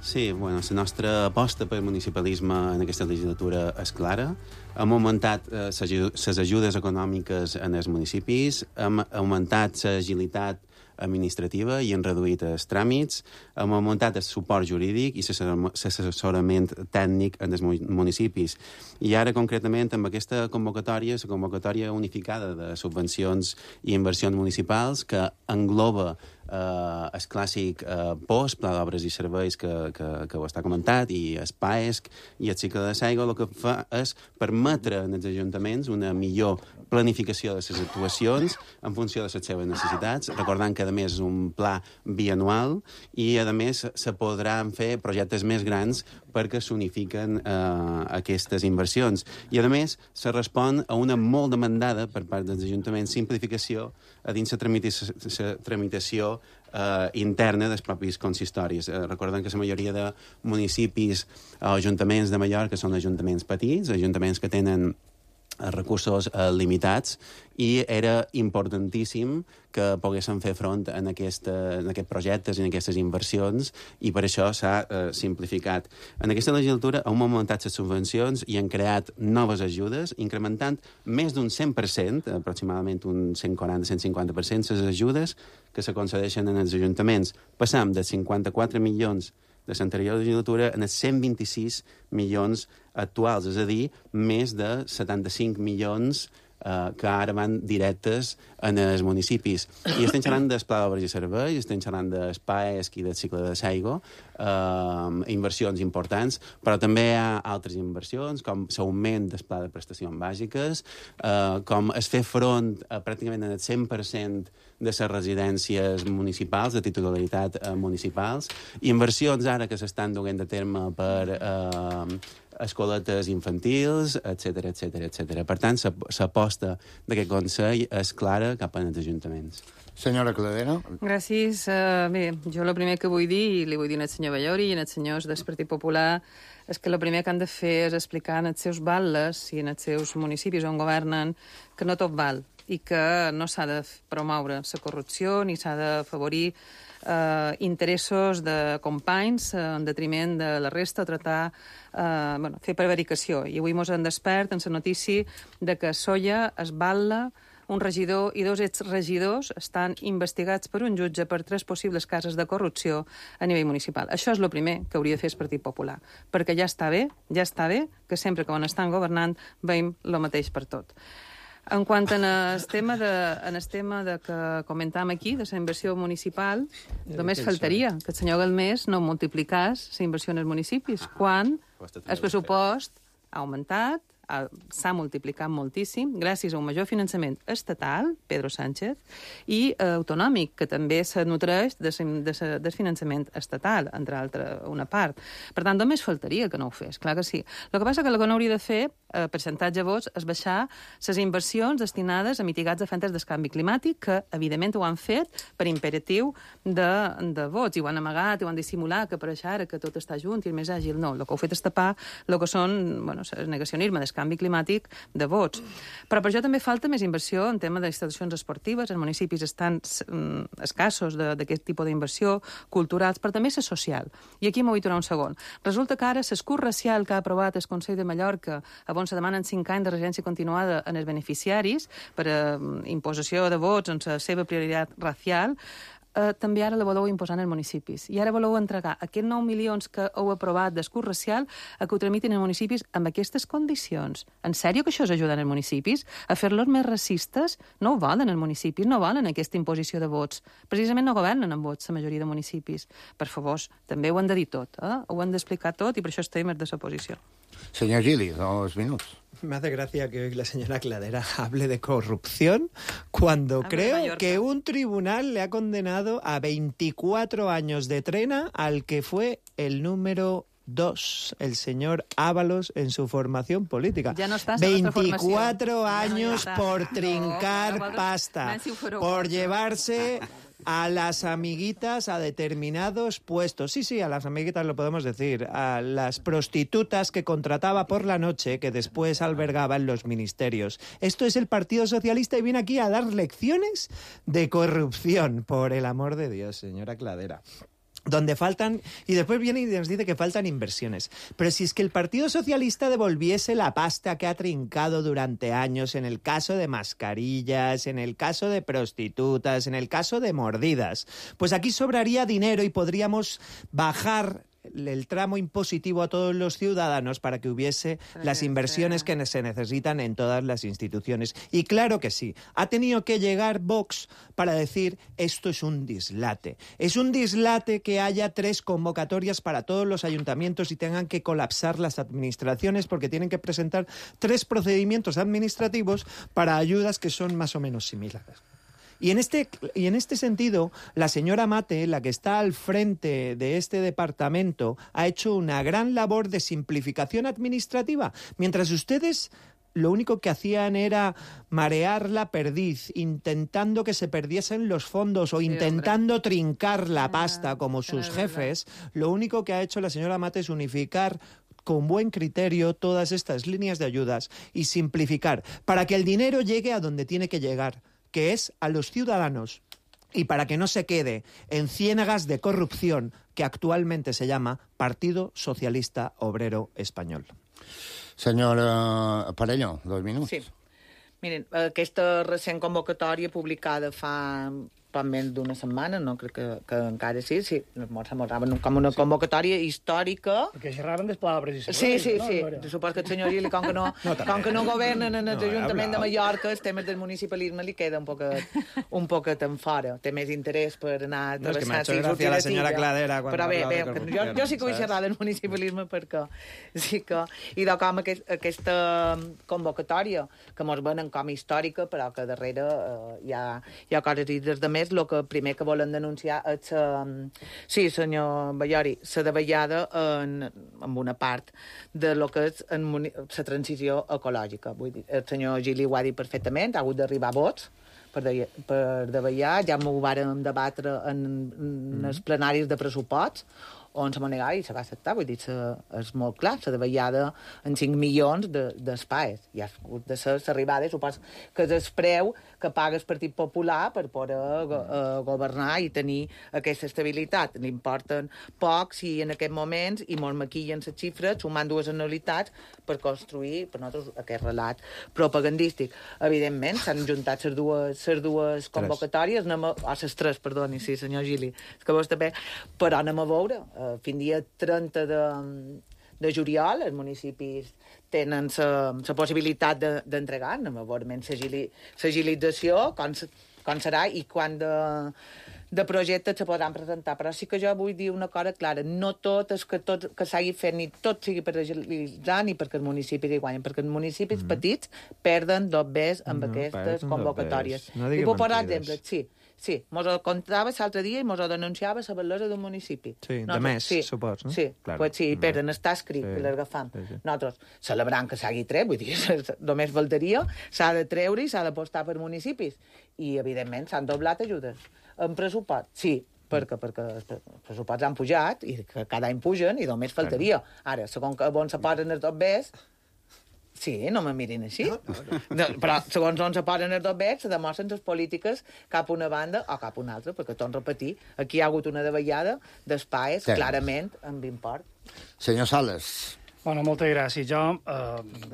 Sí, bueno, la nostra aposta per municipalisme en aquesta legislatura és clara. Hem augmentat les ajudes econòmiques en els municipis, hem augmentat l'agilitat administrativa i han reduït els tràmits, hem augmentat el suport jurídic i l'assessorament tècnic en els municipis. I ara, concretament, amb aquesta convocatòria, la convocatòria unificada de subvencions i inversions municipals, que engloba el clàssic POS, Pla d'Obres i Serveis, que ho està comentat, i el PAESC i el cicle de Saigo, el que fa és permetre als ajuntaments una millor planificació de les actuacions en funció de les seves necessitats, recordant que, a més, és un pla bianual i, a més, se podran fer projectes més grans perquè s'unifiquen aquestes inversions. I, a més, se respon a una molt demandada per part dels ajuntaments simplificació a dins la tramitació interna dels propis consistoris. Recordem que la majoria de municipis o ajuntaments de Mallorca són ajuntaments petits, ajuntaments que tenen recursos limitats, i era importantíssim que poguessin fer front en aquests projectes i en aquestes inversions, i per això s'ha simplificat. En aquesta legislatura hem augmentat les subvencions i han creat noves ajudes, incrementant més d'un 100%, aproximadament un 140-150%, les ajudes que se concedeixen als ajuntaments. Passam de 54 milions de l'anterior legislatura en els 126 milions actuals, és a dir, més de 75 milions que ara van directes en els municipis. I estem xerrant del Pla d'Obres i Serveis, estem xerrant del PAESC i del cicle de Saigo, inversions importants, però també hi ha altres inversions, com l'augment del Pla de Prestacions Bàsiques, com es fer front pràcticament al 100% de les residències municipals, de titularitat municipals, inversions ara que s'estan duent a terme per escoletes infantils, etc. Per tant, l'aposta d'aquest Consell és clara cap als ajuntaments. Senyora Cladera. Gràcies. Bé, jo el primer que vull dir, i li vull dir al senyor Ballori i als senyors del Partit Popular, és que el primer que han de fer és explicar als seus batlles i als seus municipis on governen que no tot val i que no s'ha de promoure la corrupció ni s'ha d'afavorir interessos de companys en detriment de la resta, tratar, fer prevaricació. I avui mos han despert en la notícia de que a Solla es batla un regidor i 2 exregidors estan investigats per un jutge per 3 possibles casos de corrupció a nivell municipal. Això és el primer que hauria de fer el Partit Popular, perquè ja està bé que sempre que estan governant veiem el mateix per tot. En quant al tema que comentàvem aquí, de la inversió municipal, només faltaria que el senyor Galmés no multiplicés la inversió en els municipis, quan el pressupost ha augmentat, s'ha multiplicat moltíssim gràcies a un major finançament estatal, Pedro Sánchez, i autonòmic, que també se nutreix del finançament estatal, entre altres una part. Per tant, només faltaria que no ho fes, clar que sí. El que passa que el que no hauria de fer, percentatge de vots, és baixar les inversions destinades a mitigats efectes del canvi climàtic, que evidentment ho han fet per imperatiu de vots, i ho han amagat, i ho han dissimulat, que per això ara que tot està junt i és més àgil. No, el que ho fet és tapar el que són el negacionisme del canvi climàtic de vots. Però per això també falta més inversió en tema d'instal·lacions esportives. Els municipis estan escassos d'aquest tipus d'inversió, culturals, però també la social. I aquí m'ho vull tornar un segon. Resulta que ara l'escut racial que ha aprovat el Consell de Mallorca, on se demanen 5 anys de regència continuada en els beneficiaris per imposició de vots en la seva prioritat racial, també ara la voleu imposar en els municipis. I ara voleu entregar aquests 9 milions que heu aprovat d'escut racial a que ho tramitin els municipis amb aquestes condicions. En sèrio que això és ajudar els municipis? A fer-los més racistes? No ho volen els municipis, no volen aquesta imposició de vots. Precisament no governen amb vots la majoria de municipis. Per favor, també ho han de dir tot, ho han d'explicar tot, i per això estem des de la posició. Senyor Gili, 2 minuts. Me hace gracia que hoy la señora Cladera hable de corrupción cuando creo que un tribunal le ha condenado a 24 años de trena al que fue el número 2, el señor Ábalos, en su formación política. Ya no estás 24 años por trincar pasta, por llevarse a las amiguitas a determinados puestos. Sí, a las amiguitas lo podemos decir. A las prostitutas que contrataba por la noche, que después albergaba en los ministerios. Esto es el Partido Socialista y viene aquí a dar lecciones de corrupción. Por el amor de Dios, señora Cladera. Donde faltan, y después viene y nos dice que faltan inversiones. Pero si es que el Partido Socialista devolviese la pasta que ha trincado durante años en el caso de mascarillas, en el caso de prostitutas, en el caso de mordidas, pues aquí sobraría dinero y podríamos bajar el tramo impositivo a todos los ciudadanos para que hubiese las inversiones que se necesitan en todas las instituciones. Y claro que sí, ha tenido que llegar Vox para decir esto es un dislate. Es un dislate que haya 3 convocatorias para todos los ayuntamientos y tengan que colapsar las administraciones porque tienen que presentar 3 procedimientos administrativos para ayudas que son más o menos similares. Y en este sentido, la señora Mate, la que está al frente de este departamento, ha hecho una gran labor de simplificación administrativa, mientras ustedes lo único que hacían era marear la perdiz, intentando que se perdiesen los fondos o intentando trincar la pasta como sus jefes. Lo único que ha hecho la señora Mate es unificar con buen criterio todas estas líneas de ayudas y simplificar para que el dinero llegue a donde tiene que llegar, que es a los ciudadanos, y para que no se quede en ciénagas de corrupción que actualmente se llama Partido Socialista Obrero Espanyol. Senyora Parelló, 2 minuts. Sí. Miren, aquesta recent convocatòria publicada fa poc menys d'una setmana, no crec que encara sí, semblava com una convocatòria històrica. Perquè xerraven dels palabres i serveis. Sí. Suposo que el senyor Gili, com que no governen en l'Ajuntament de Mallorca, els temes del municipalisme li queda un poquet en fora. Té més interès per anar a travessar... És que m'ha hecho gràcia la senyora Cladera. Però bé, jo sí que vull xerrar del municipalisme perquè sí que... I com aquesta convocatòria, que mos venen com històrica, però que darrere hi ha coses i des de més, el que primer que volen denunciar és, sí, senyor Ballori, la davallada en una part de lo que és la transició ecològica. Vull dir, el senyor Gili ho ha dit perfectament, ha hagut d'arribar vots per davallar, ja m'ho vàrem debatre en els plenaris de pressupost, on se m'ha negat i se va acceptar, vull dir, és molt clar, la davallada en 5 milions d'espais. Hi ha hagut de ser l'arribada, suposo que és el preu que paga el Partit Popular per poder governar i tenir aquesta estabilitat. N'importen pocs i en aquests moments, i molt maquillen les xifres, sumant 2 anualitats per construir, per nosaltres, aquest relat propagandístic. Evidentment, s'han juntat les dues convocatòries, les 3, perdoni, sí, senyor Gili, és que vostè ve, però anem a veure. Fins dia 30 de juliol els municipis tenen la possibilitat d'entregar, anem a veure l'agilització, com serà i quan de projectes se podran presentar. Però sí que jo vull dir una cosa clara, no tot és que s'hagi fet ni tot sigui per agilitzar ni perquè els municipis hi guanyen, perquè els municipis petits perden 2 veces amb aquestes convocatòries. I puc posar exemples, sí, mos ho contava l'altre dia i mos ho denunciava la bellesa d'un municipi. Sí, de més, supos, no? Sí, pues sí, perden, està escrit, que l'agafam. Nosaltres, celebrant que s'hagi tret, vull dir, només faltaria, s'ha de treure i s'ha d'apostar per municipis. I, evidentment, s'han doblat ajudes. En pressupost, sí, perquè els pressuposts han pujat i cada any pugen i només faltaria. Ara, segons on se posen els 2 bes, sí, no me mirin així. No, però, segons on se posen els 2 bes, se demostren les polítiques cap a una banda o cap a una altra, perquè, torno a repetir, aquí hi ha hagut una davallada d'espais, clarament, amb import. Senyor Sales. Bueno, moltes gràcies. Jo,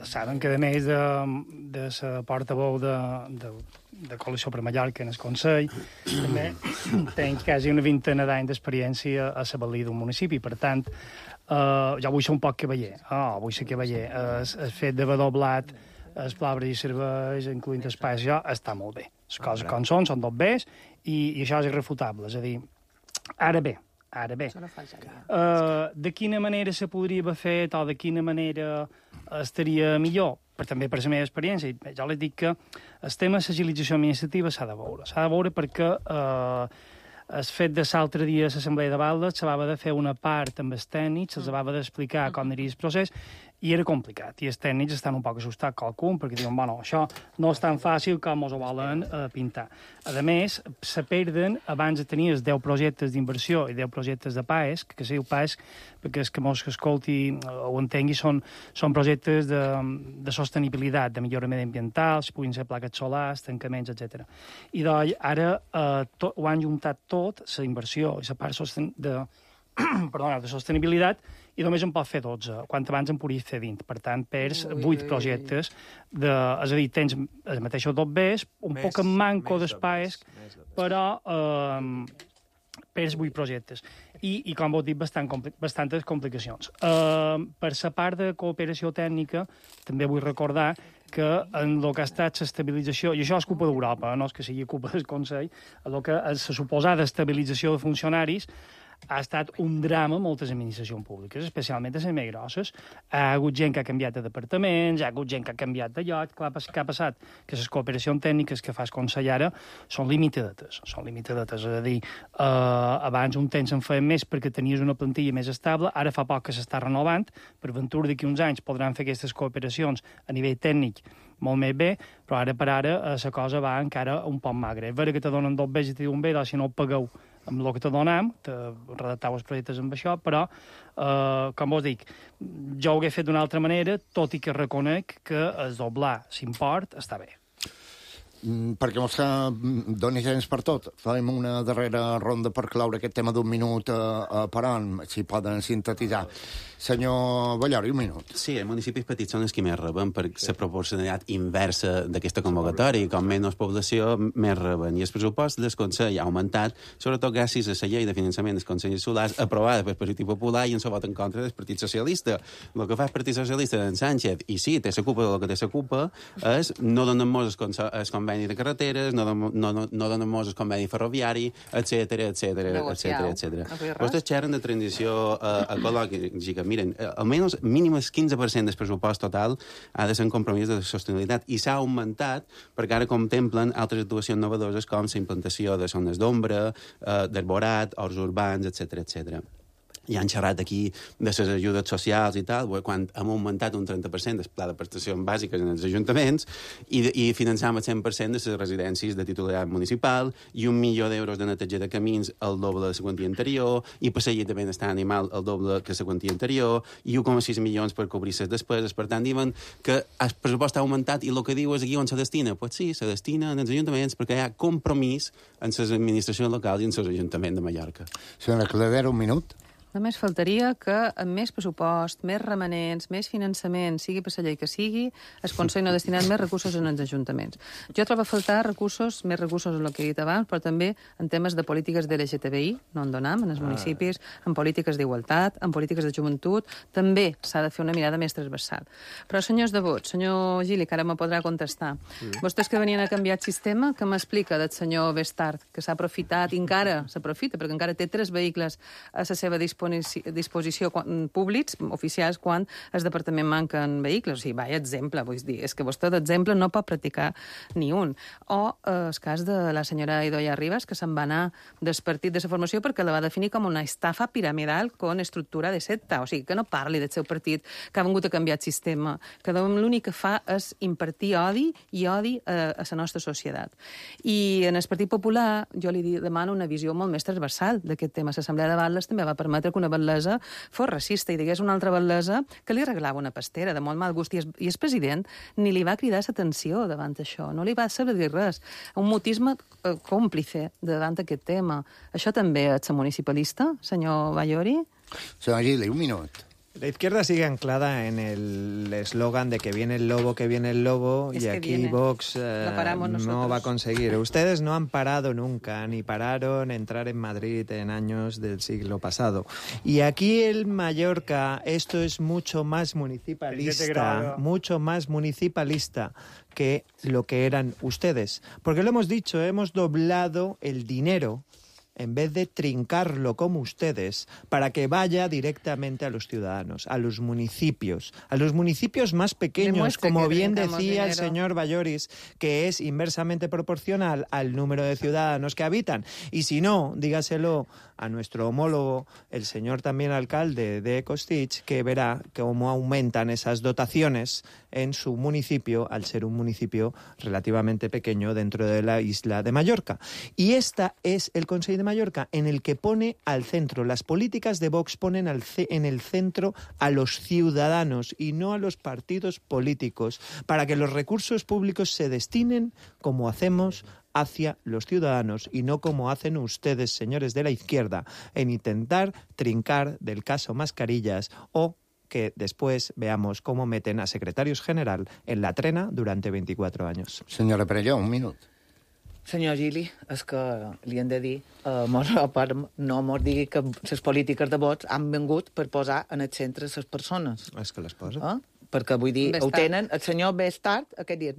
saben que, a més de la portaveu de Coalició per Mallorca en el Consell, també tenc quasi una vintena d'anys d'experiència a la valida d'un municipi. Per tant, jo vull ser un poc cavaller. Vull ser cavaller. El fet d'haver doblat els palabres i serveis, incloent espais, això està molt bé. Les coses com són 2 bes, i això és irrefutable. És a dir, ara bé, de quina manera se podria haver fet o de quina manera estaria millor? també per la meva experiència, jo li dic que el tema de l'agilització administrativa s'ha de veure perquè el fet de l'altre dia a l'Assemblea de Baldes s'havia de fer una part amb els tècnics, se'ls havia d'explicar com aniria el procés, i era complicat, i els tècnics estan un poc assustats qualcun, perquè diuen, bueno, això no és tan fàcil com ens ho volen pintar. A més, se perden, abans de tenir els 10 projectes d'inversió i 10 projectes de PAESC, que se diu PAESC, perquè els que mos escolti o entengui són projectes de sostenibilitat, de millora mediambiental, puguin ser plaques solars, tancaments, etc. I doncs ara ho han juntat tot, la inversió i la part de sostenibilitat, i només en pot fer 12, quan abans en podries fer 20. Per tant, perds 8 projectes. És a dir, tens els mateixos 2 Bs, un poc en manco d'espais, però perds 8 projectes. I com vos dic, bastantes complicacions. Per la part de cooperació tècnica, també vull recordar que en el que ha estat l'estabilització, i això és culpa d'Europa, no és que sigui culpa del Consell, el que la suposada estabilització de funcionaris ha estat un drama en moltes administracions públiques, especialment a les més grosses. Ha hagut gent que ha canviat de departaments, ha hagut gent que ha canviat de lloc. Clar, què ha passat? Que les cooperacions tècniques que fa el Consell ara són limitadetes. És a dir, abans un temps en feia més perquè tenies una plantilla més estable, ara fa poc que s'està renovant, per ventura d'aquí uns anys podran fer aquestes cooperacions a nivell tècnic molt més bé, però ara per ara la cosa va encara un poc magre. És vera que te donen 2 Bs i te diuen bé, doncs si no ho pagueu amb el que te donem, te redactau els projectes amb això, però, com vos dic, jo ho he fet d'una altra manera, tot i que reconec que el doblar l'import està bé. Perquè mos doni temps per tot. Farem una darrera ronda per claure aquest tema d'un minut per on, si poden sintetitzar. Senyor Ballori, un minut. Sí, els municipis petits són els que més reben per la proporcionalitat inversa d'aquesta convocatòria, i com menys població, més reben. I el pressupost del Consell ha augmentat, sobretot gràcies a la llei de finançament dels Consells Solars, aprovada pel Partit Popular i en el vot en contra del Partit Socialista. El que fa el Partit Socialista d'en Sánchez, i sí, té la culpa del que té la culpa, és no donen molts el conveni de carreteres, no donen molts el conveni ferroviari, etcètera. Vostès xerren de transició ecològica. Miren, almenys mínim el 15% del pressupost total ha de ser un compromís de sostenibilitat, i s'ha augmentat perquè ara contemplen altres actuacions innovadores com la implantació de zones d'ombra, d'arborat, horts urbans, etcètera. I han xerrat aquí de les ajudes socials i tal, quan hem augmentat un 30% del pla de prestacions bàsiques en els ajuntaments i finançam el 100% de les residències de titularitat municipal i €1 milió de neteja de camins el doble de la quantia anterior, i per seguir de benestar animal el doble que la quantia anterior, i 1,6 milions per cobrir les despeses. Per tant, diuen que el pressupost ha augmentat i el que diu és aquí on se destina. Pues sí, se destina en els ajuntaments perquè hi ha compromís en les administracions locals i en els ajuntaments de Mallorca. Senyora Cladera, un minut. Només faltaria que amb més pressupost, més remanents, més finançament, sigui per la llei que sigui, el Consell no ha destinat més recursos en els ajuntaments. Jo trobo a faltar més recursos en el que he dit abans, però també en temes de polítiques de LGTBI, no en donam, en els municipis, en polítiques d'igualtat, en polítiques de joventut, també s'ha de fer una mirada més transversal. Però, senyors de vot, senyor Gili, que ara me podrà contestar, vostès que venien a canviar el sistema, que m'explica del senyor Bestard, que s'ha aprofitat, i encara s'aprofita, perquè encara té 3 vehicles a la seva disposició públics, oficials, quan el departament manquen vehicles. O sigui, vaja exemple, vull dir, és que vostè d'exemple no pot practicar ni un. O el cas de la senyora Idoia Ribas, que se'n va anar del partit de la formació perquè la va definir com una estafa piramidal con estructura de secta. O sigui, que no parli del seu partit, que ha vingut a canviar el sistema, que l'únic que fa és impartir odi i odi a la nostra societat. I en el Partit Popular jo li demano una visió molt més transversal d'aquest tema. L'Assemblea de Baldes també va permetre que una batlesa fos racista i digués una altra batlesa que li regalava una pastera de molt mal gust, i el president ni li va cridar l'atenció davant això, no li va saber dir res. Un mutisme còmplice davant aquest tema. Això també és municipalista, senyor Ballori? Senyor Gili, un minut. La izquierda sigue anclada en el eslogan de que viene el lobo, y aquí Vox no va a conseguir. Ustedes no han parado nunca, ni pararon entrar en Madrid en años del siglo pasado. Y aquí en Mallorca esto es mucho más municipalista que lo que eran ustedes. Porque lo hemos dicho, hemos doblado el dinero en vez de trincarlo como ustedes, para que vaya directamente a los ciudadanos, a los municipios más pequeños, como bien decía el señor Balloris, que es inversamente proporcional al número de ciudadanos que habitan. Y si no, dígaselo a nuestro homólogo, el señor también alcalde de Costitx, que verá cómo aumentan esas dotaciones en su municipio, al ser un municipio relativamente pequeño dentro de la isla de Mallorca. Y esta es el Consell de Mallorca, en el que pone al centro, las políticas de Vox ponen en el centro a los ciudadanos y no a los partidos políticos, para que los recursos públicos se destinen como hacemos hacia los ciudadanos y no como hacen ustedes, señores de la izquierda, en intentar trincar del caso Mascarillas o que después veamos cómo meten a secretarios general en la trena durante 24 años. Senyora Perelló, un minut. Senyor Gili, és que li hem de dir, no mos digui que les polítiques de vots han vingut per posar en el centre les persones. És que les posa. Perquè, vull dir, ho tenen el senyor Bestart, aquest dia,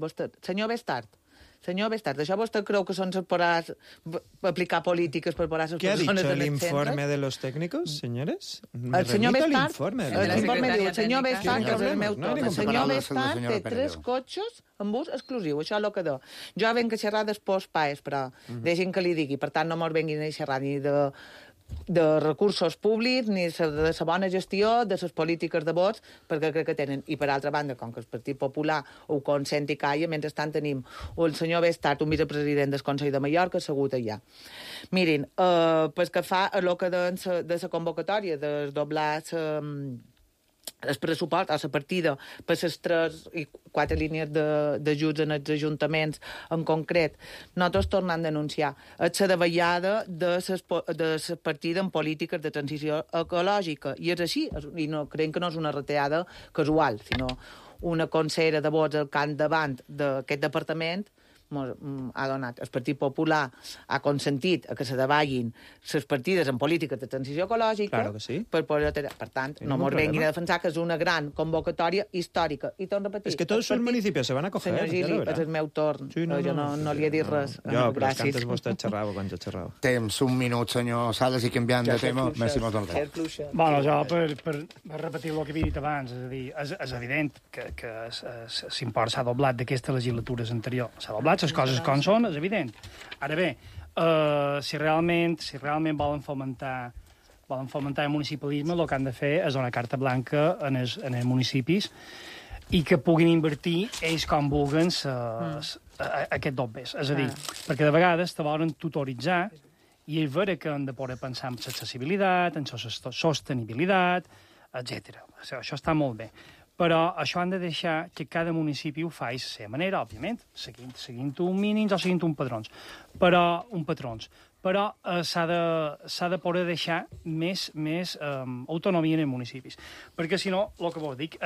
senyor Bestart, això vostè creu que són per aplicar polítiques per posar les persones en el centre? ¿Qué ha dicho el informe de los técnicos, señores? El senyor Bestart, l'informe diu, el senyor Bestart, que és el meu torn. El senyor Bestart té 3 cotxes amb ús exclusiu, això és el que do. Jo venc a xerrar després paes, però deixin que li digui, per tant no mos venguin a xerrar ni de recursos públics, ni de la bona gestió, de les polítiques de vots, perquè crec que tenen. I per altra banda, com que el Partit Popular ho consent i calla, mentrestant tenim el senyor Bestart, un vicepresident del Consell de Mallorca, assegut allà. Mirin, pues que fa el que de la convocatòria, de doblar el pressupost, a la partida, per les 3 i 4 línies d'ajuts en els ajuntaments en concret, nosaltres tornem a denunciar la davallada de la partida en polítiques de transició ecològica. I és així, i no, creiem que no és una retallada casual, sinó una consellera de vots al capdavant d'aquest departament ha donat. El Partit Popular ha consentit que se davallin les partides en polítiques de transició ecològica. Claro que sí. Per tant, no ens venguin a defensar que és una gran convocatòria històrica. I torno a repetir. Es que tots els municipis se van a coger. Senyor Gili, és el meu torn. Sí, jo no li he dit res. Jo, però és que antes vostè xerrava quan jo xerrava. Temps, un minut, senyor Sales, i canviant de tema. Merci molt del temps. Bueno, jo, per repetir el que havia dit abans, és a dir, és evident que l'import s'ha doblat d'aquestes legislatures anteriors. S'ha doblat, les coses com són, és evident. Ara bé, si realment volen fomentar el municipalisme, el que han de fer és donar carta blanca en els municipis i que puguin invertir ells com vulguin aquest dobbers. És a dir, perquè de vegades te volen tutoritzar i és vera que han de poder pensar en l'accessibilitat, en la sostenibilitat, etc. Això està molt bé. Però això han de deixar que cada municipi ho faci de la seva manera, òbviament, seguint un mínims o seguint un patrons. Però s'ha de poder deixar més autonomia en els municipis. Perquè, si no, el que vos dic,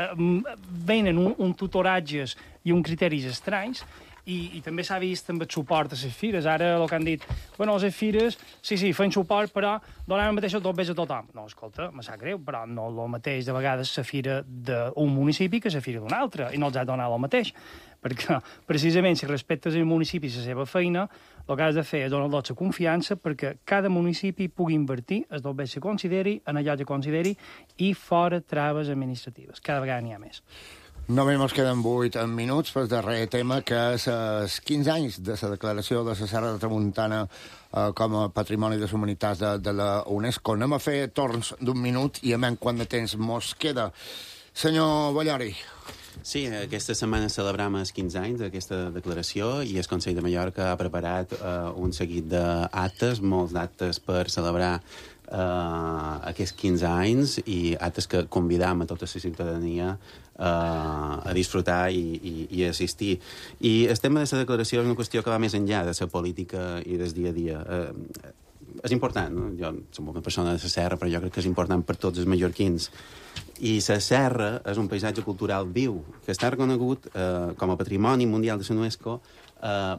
venen un tutoratges i uns criteris estranys i també s'ha vist amb el suport a les fires. Ara el que han dit, bueno, les fires, sí, fan suport, però donen el mateix dobbers a tothom. No, escolta, me sap greu, però no el mateix de vegades la fira d'un municipi que la fira d'un altre, i no els ha de donar el mateix. Perquè, precisament, si respectes el municipi i la seva feina, el que has de fer és donar-los la confiança perquè cada municipi pugui invertir els dobbers que consideri, en allò que consideri, i fora traves administratives. Cada vegada n'hi ha més. Només ens queden 8 minuts per darrer tema, que és els 15 anys de la declaració de la Serra de Tramuntana com a Patrimoni de la Humanitat de la UNESCO. Anem a fer torns d'un minut i a menys quant de temps mos queda. Senyor Ballori. Sí, aquesta setmana celebram els 15 anys d'aquesta declaració i el Consell de Mallorca ha preparat un seguit d'actes, molts d'actes per celebrar aquests 15 anys i actes que convidam a tota la ciutadania a disfrutar i a assistir. I el tema de la declaració és una qüestió que va més enllà de la política i del dia a dia. És important, no? Jo som una persona de la Serra, però jo crec que és important per tots els mallorquins. I la Serra és un paisatge cultural viu, que està reconegut com a Patrimoni Mundial de la UNESCO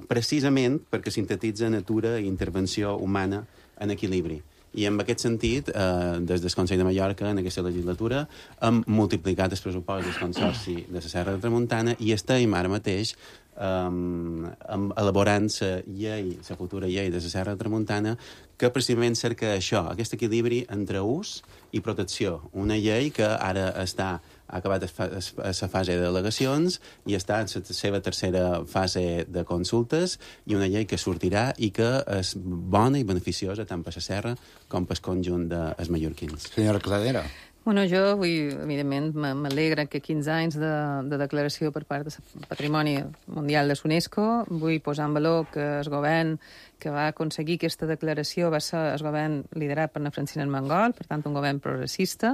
precisament perquè sintetitza natura i intervenció humana en equilibri. I en aquest sentit, des del Consell de Mallorca, en aquesta legislatura, hem multiplicat el pressupost del Consorci de la Serra de Tramuntana i estem ara mateix elaborant la futura llei de la Serra de Tramuntana, que precisament cerca això, aquest equilibri entre ús i protecció. Una llei que ara ha acabat la fase de al·legacions i està en la seva tercera fase de consultes, i una llei que sortirà i que és bona i beneficiosa tant per la Serra com per el conjunt dels mallorquins. Senyora Cladera. Bueno, jo, evidentment, m'alegra que 15 anys de declaració per part del Patrimoni Mundial de l'UNESCO. Vull posar en valor que el govern que va aconseguir aquesta declaració va ser el govern liderat per Francina Armengol, per tant, un govern progressista,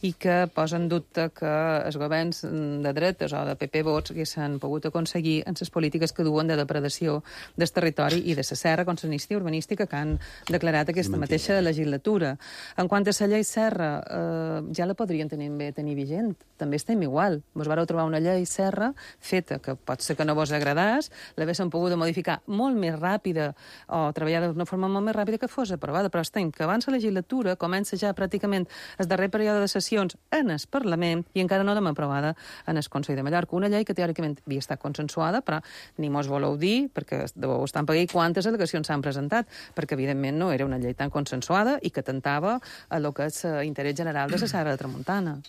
i que posa en dubte que els governs de dretes o de PP vots haguessin pogut aconseguir en les polítiques que duen de depredació del territori i de la serra com l'amnistia urbanística que han declarat aquesta mateixa legislatura. En quant a la llei Serra, ja la podrien tenir vigent. També estem igual. Vos vareu trobar una llei Serra feta, que pot ser que no vos agradàs, l'haguessin pogut modificar molt més ràpida o treballar d'una forma molt més ràpida que fos aprovada, però estem que abans la legislatura comença ja pràcticament el darrer període de sessions en el Parlament i encara no l'hem aprovada en el Consell de Mallorca. Una llei que teòricament havia estat consensuada, però ni mos voleu dir, perquè deveu estar en pagar quantes al·legacions s'han presentat, perquè evidentment no era una llei tan consensuada i que atentava a lo que és l'interès general de la Serra de Tramuntana.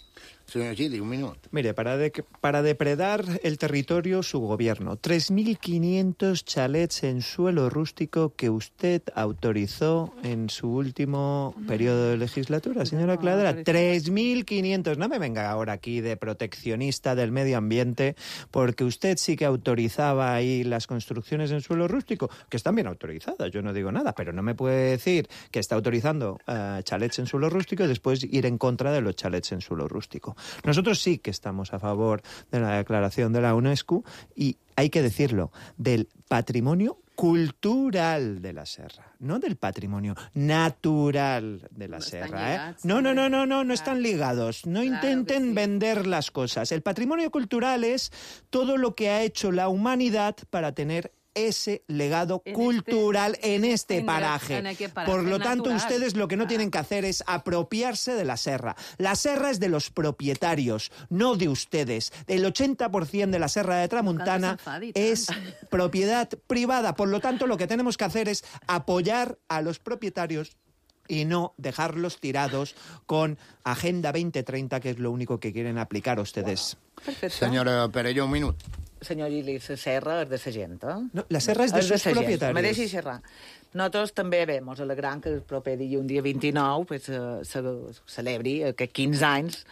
Señor Gili, un minuto. Mire, para depredar el territorio, su gobierno, 3.500 chalets en suelo rústico que usted autorizó en su último periodo de legislatura, señora Cladera. 3.500. No me venga ahora aquí de proteccionista del medio ambiente, porque usted sí que autorizaba ahí las construcciones en suelo rústico, que están bien autorizadas, yo no digo nada, pero no me puede decir que está autorizando chalets en suelo rústico y después ir en contra de los chalets en suelo rústico. Nosotros sí que estamos a favor de la declaración de la UNESCO y, hay que decirlo, del patrimonio cultural de la serra, no del patrimonio natural de la serra. No están ligados. No intenten vender las cosas. El patrimonio cultural es todo lo que ha hecho la humanidad para tener ese legado cultural en este paraje. Por lo tanto, ustedes lo que no tienen que hacer es apropiarse de la serra. La serra es de los propietarios, no de ustedes. El 80% de la Serra de Tramuntana es propiedad privada. Por lo tanto, lo que tenemos que hacer es apoyar a los propietarios y no dejarlos tirados con Agenda 2030, que es lo único que quieren aplicar ustedes. Perfecte. Senyora Perelló, un minut. Senyor Gili, la serra és de la gent, eh? No, la serra és de sus propietaris. Me deixi xerrar. Nosaltres també ens alegrem que el proper dia, un dia 29, pues, se celebri aquests 15 anys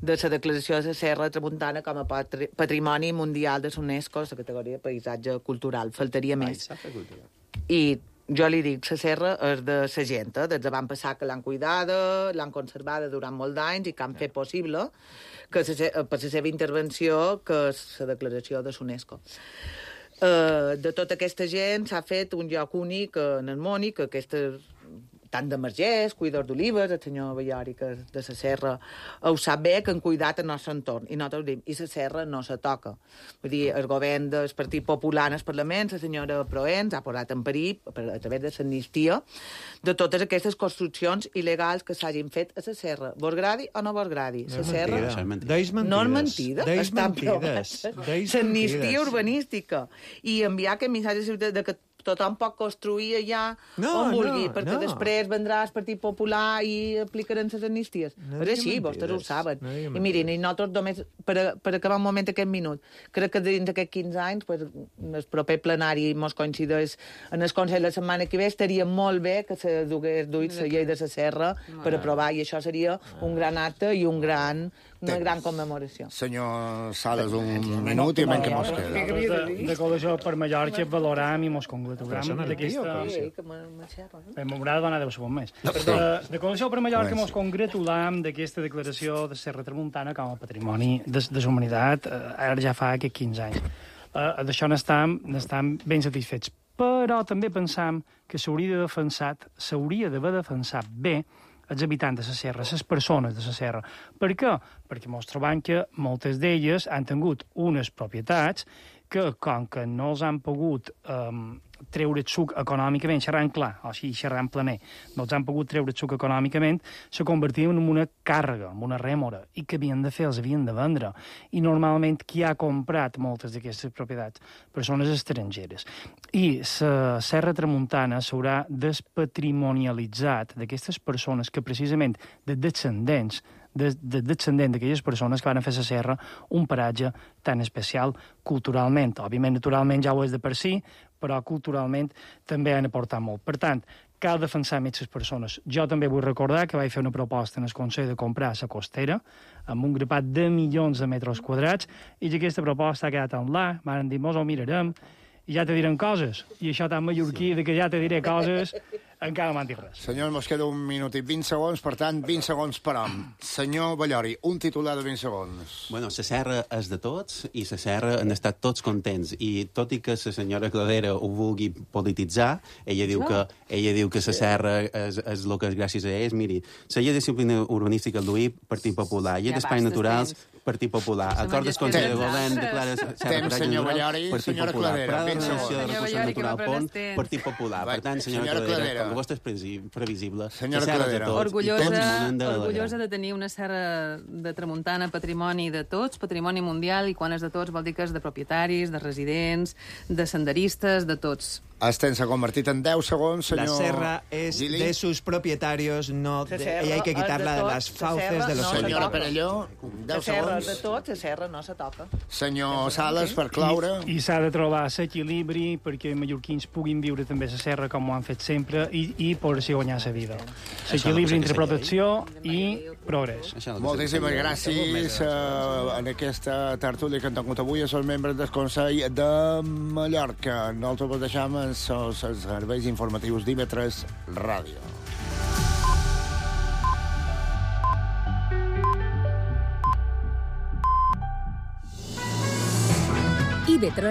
de la declaració de la Serra de Tramuntana com a Patrimoni Mundial de l'UNESCO, la categoria de paisatge cultural. Faltaria més. I jo li dic, la serra és de la gent, des de van passar que l'han cuidada, l'han conservada durant molts d'anys i que han fet possible que per la seva intervenció, que és la declaració de l'UNESCO. De tota aquesta gent s'ha fet un lloc únic en el món i que aquestes tant de Margès, cuidadors d'olives, el senyor Ballori, que és de la serra, ho sap bé, que han cuidat el nostre entorn. I nosaltres diem, i la serra no se toca. Vull dir, el govern del Partit Popular en el Parlament, la senyora Proens, ha posat en perill, a través de l'amnistia, de totes aquestes construccions il·legals que s'hagin fet a la serra. Vos gradi o no vos gradi? La serra no és mentida. Està aprovat. L'amnistia urbanística. I enviar aquest missatge de que tothom pot construir allà on vulgui, perquè després vendrà el Partit Popular i aplicaran les amnisties. És així, vostès ho saben. I mirin, i nosaltres només, per acabar un moment aquest minut, crec que dins d'aquests 15 anys, el proper plenari mos coincideix en el Consell la setmana que ve, estaria molt bé que se dugués duit la llei de la serra per aprovar, i això seria un gran acte i una gran commemoració. Senyor Sales, un minut i menys que mos queda. De Coalició per Mallorca valoram i mos congratulam d'aquesta... M'haurà de donar 10 segons més. De Coalició per Mallorca mos congratulam d'aquesta declaració de Serra Tramuntana com a patrimoni de la humanitat, ara ja fa aquests 15 anys. D'això n'estam ben satisfets. Però també pensam que s'hauria d'haver defensat bé els habitants de la serra, les persones de la serra. Per què? Perquè mos trobam que moltes d'elles han tingut unes propietats que, com que no els han pogut treure el suc econòmicament, xerrant clar, o sigui, xerrant planer, no els han pogut treure el suc econòmicament, se convertien en una càrrega, en una rèmora, i que havien de fer, els havien de vendre. I normalment qui ha comprat moltes d'aquestes propietats? Persones estrangeres. I la Serra Tramuntana s'haurà despatrimonialitzat d'aquestes persones que precisament de descendent d'aquelles persones que van fer la serra un paratge tan especial culturalment. Òbviament, naturalment, ja ho és de per si, però culturalment també han aportat molt. Per tant, cal defensar més les persones. Jo també vull recordar que vaig fer una proposta en el Consell de comprar la costera amb un grapat de milions de metres quadrats i aquesta proposta ha quedat en l'aire, m'han dit, mos ho mirarem, i ja te direm coses. I això tan mallorquí de que ja te diré coses, encara no m'han dit res. Senyor, mos queda 1 minut i 20 segons, per tant, 20 segons per hom. Senyor Ballori, un titular de 20 segons. Bueno, la serra és de tots i la serra han estat tots contents. I tot i que la senyora Cladera ho vulgui polititzar, ella diu que la serra és el que és gràcies a ells. Miri, la llei de disciplina urbanística el duï Partit Popular, llei d'espais naturals, Partit Popular, acord del Consell de Govern declara serra senyor Ballori, Partit senyora Popular, Cladera, Pla de 20 Regeneració de segons. Recursos Naturals, Pont, Partit Popular. Per tant, senyora Cladera, com vostè és previsible, senyora Cladera, orgullosa de tenir una serra de Tramuntana, patrimoni de tots, patrimoni mundial, i quan és de tots vol dir que és de propietaris, de residents, de senderistes, de tots. Estén s'ha convertit en 10 segons, senyor La serra es Gili. de sus propietarios, no de, y hay que quitarla de las fauces de los senyora Perelló, 10 segons. De tot, la serra no se toca. Senyor Sales, per claure. I s'ha de trobar l'equilibri perquè els mallorquins puguin viure també la serra com ho han fet sempre i poder-s'hi guanyar la vida. L'equilibri entre protecció i progrés. Moltíssimes gràcies en aquesta tertúlia que han tingut avui a els membres del Consell de Mallorca. Nosaltres vos deixam els serveis informatius d'IV3 Ràdio. IV3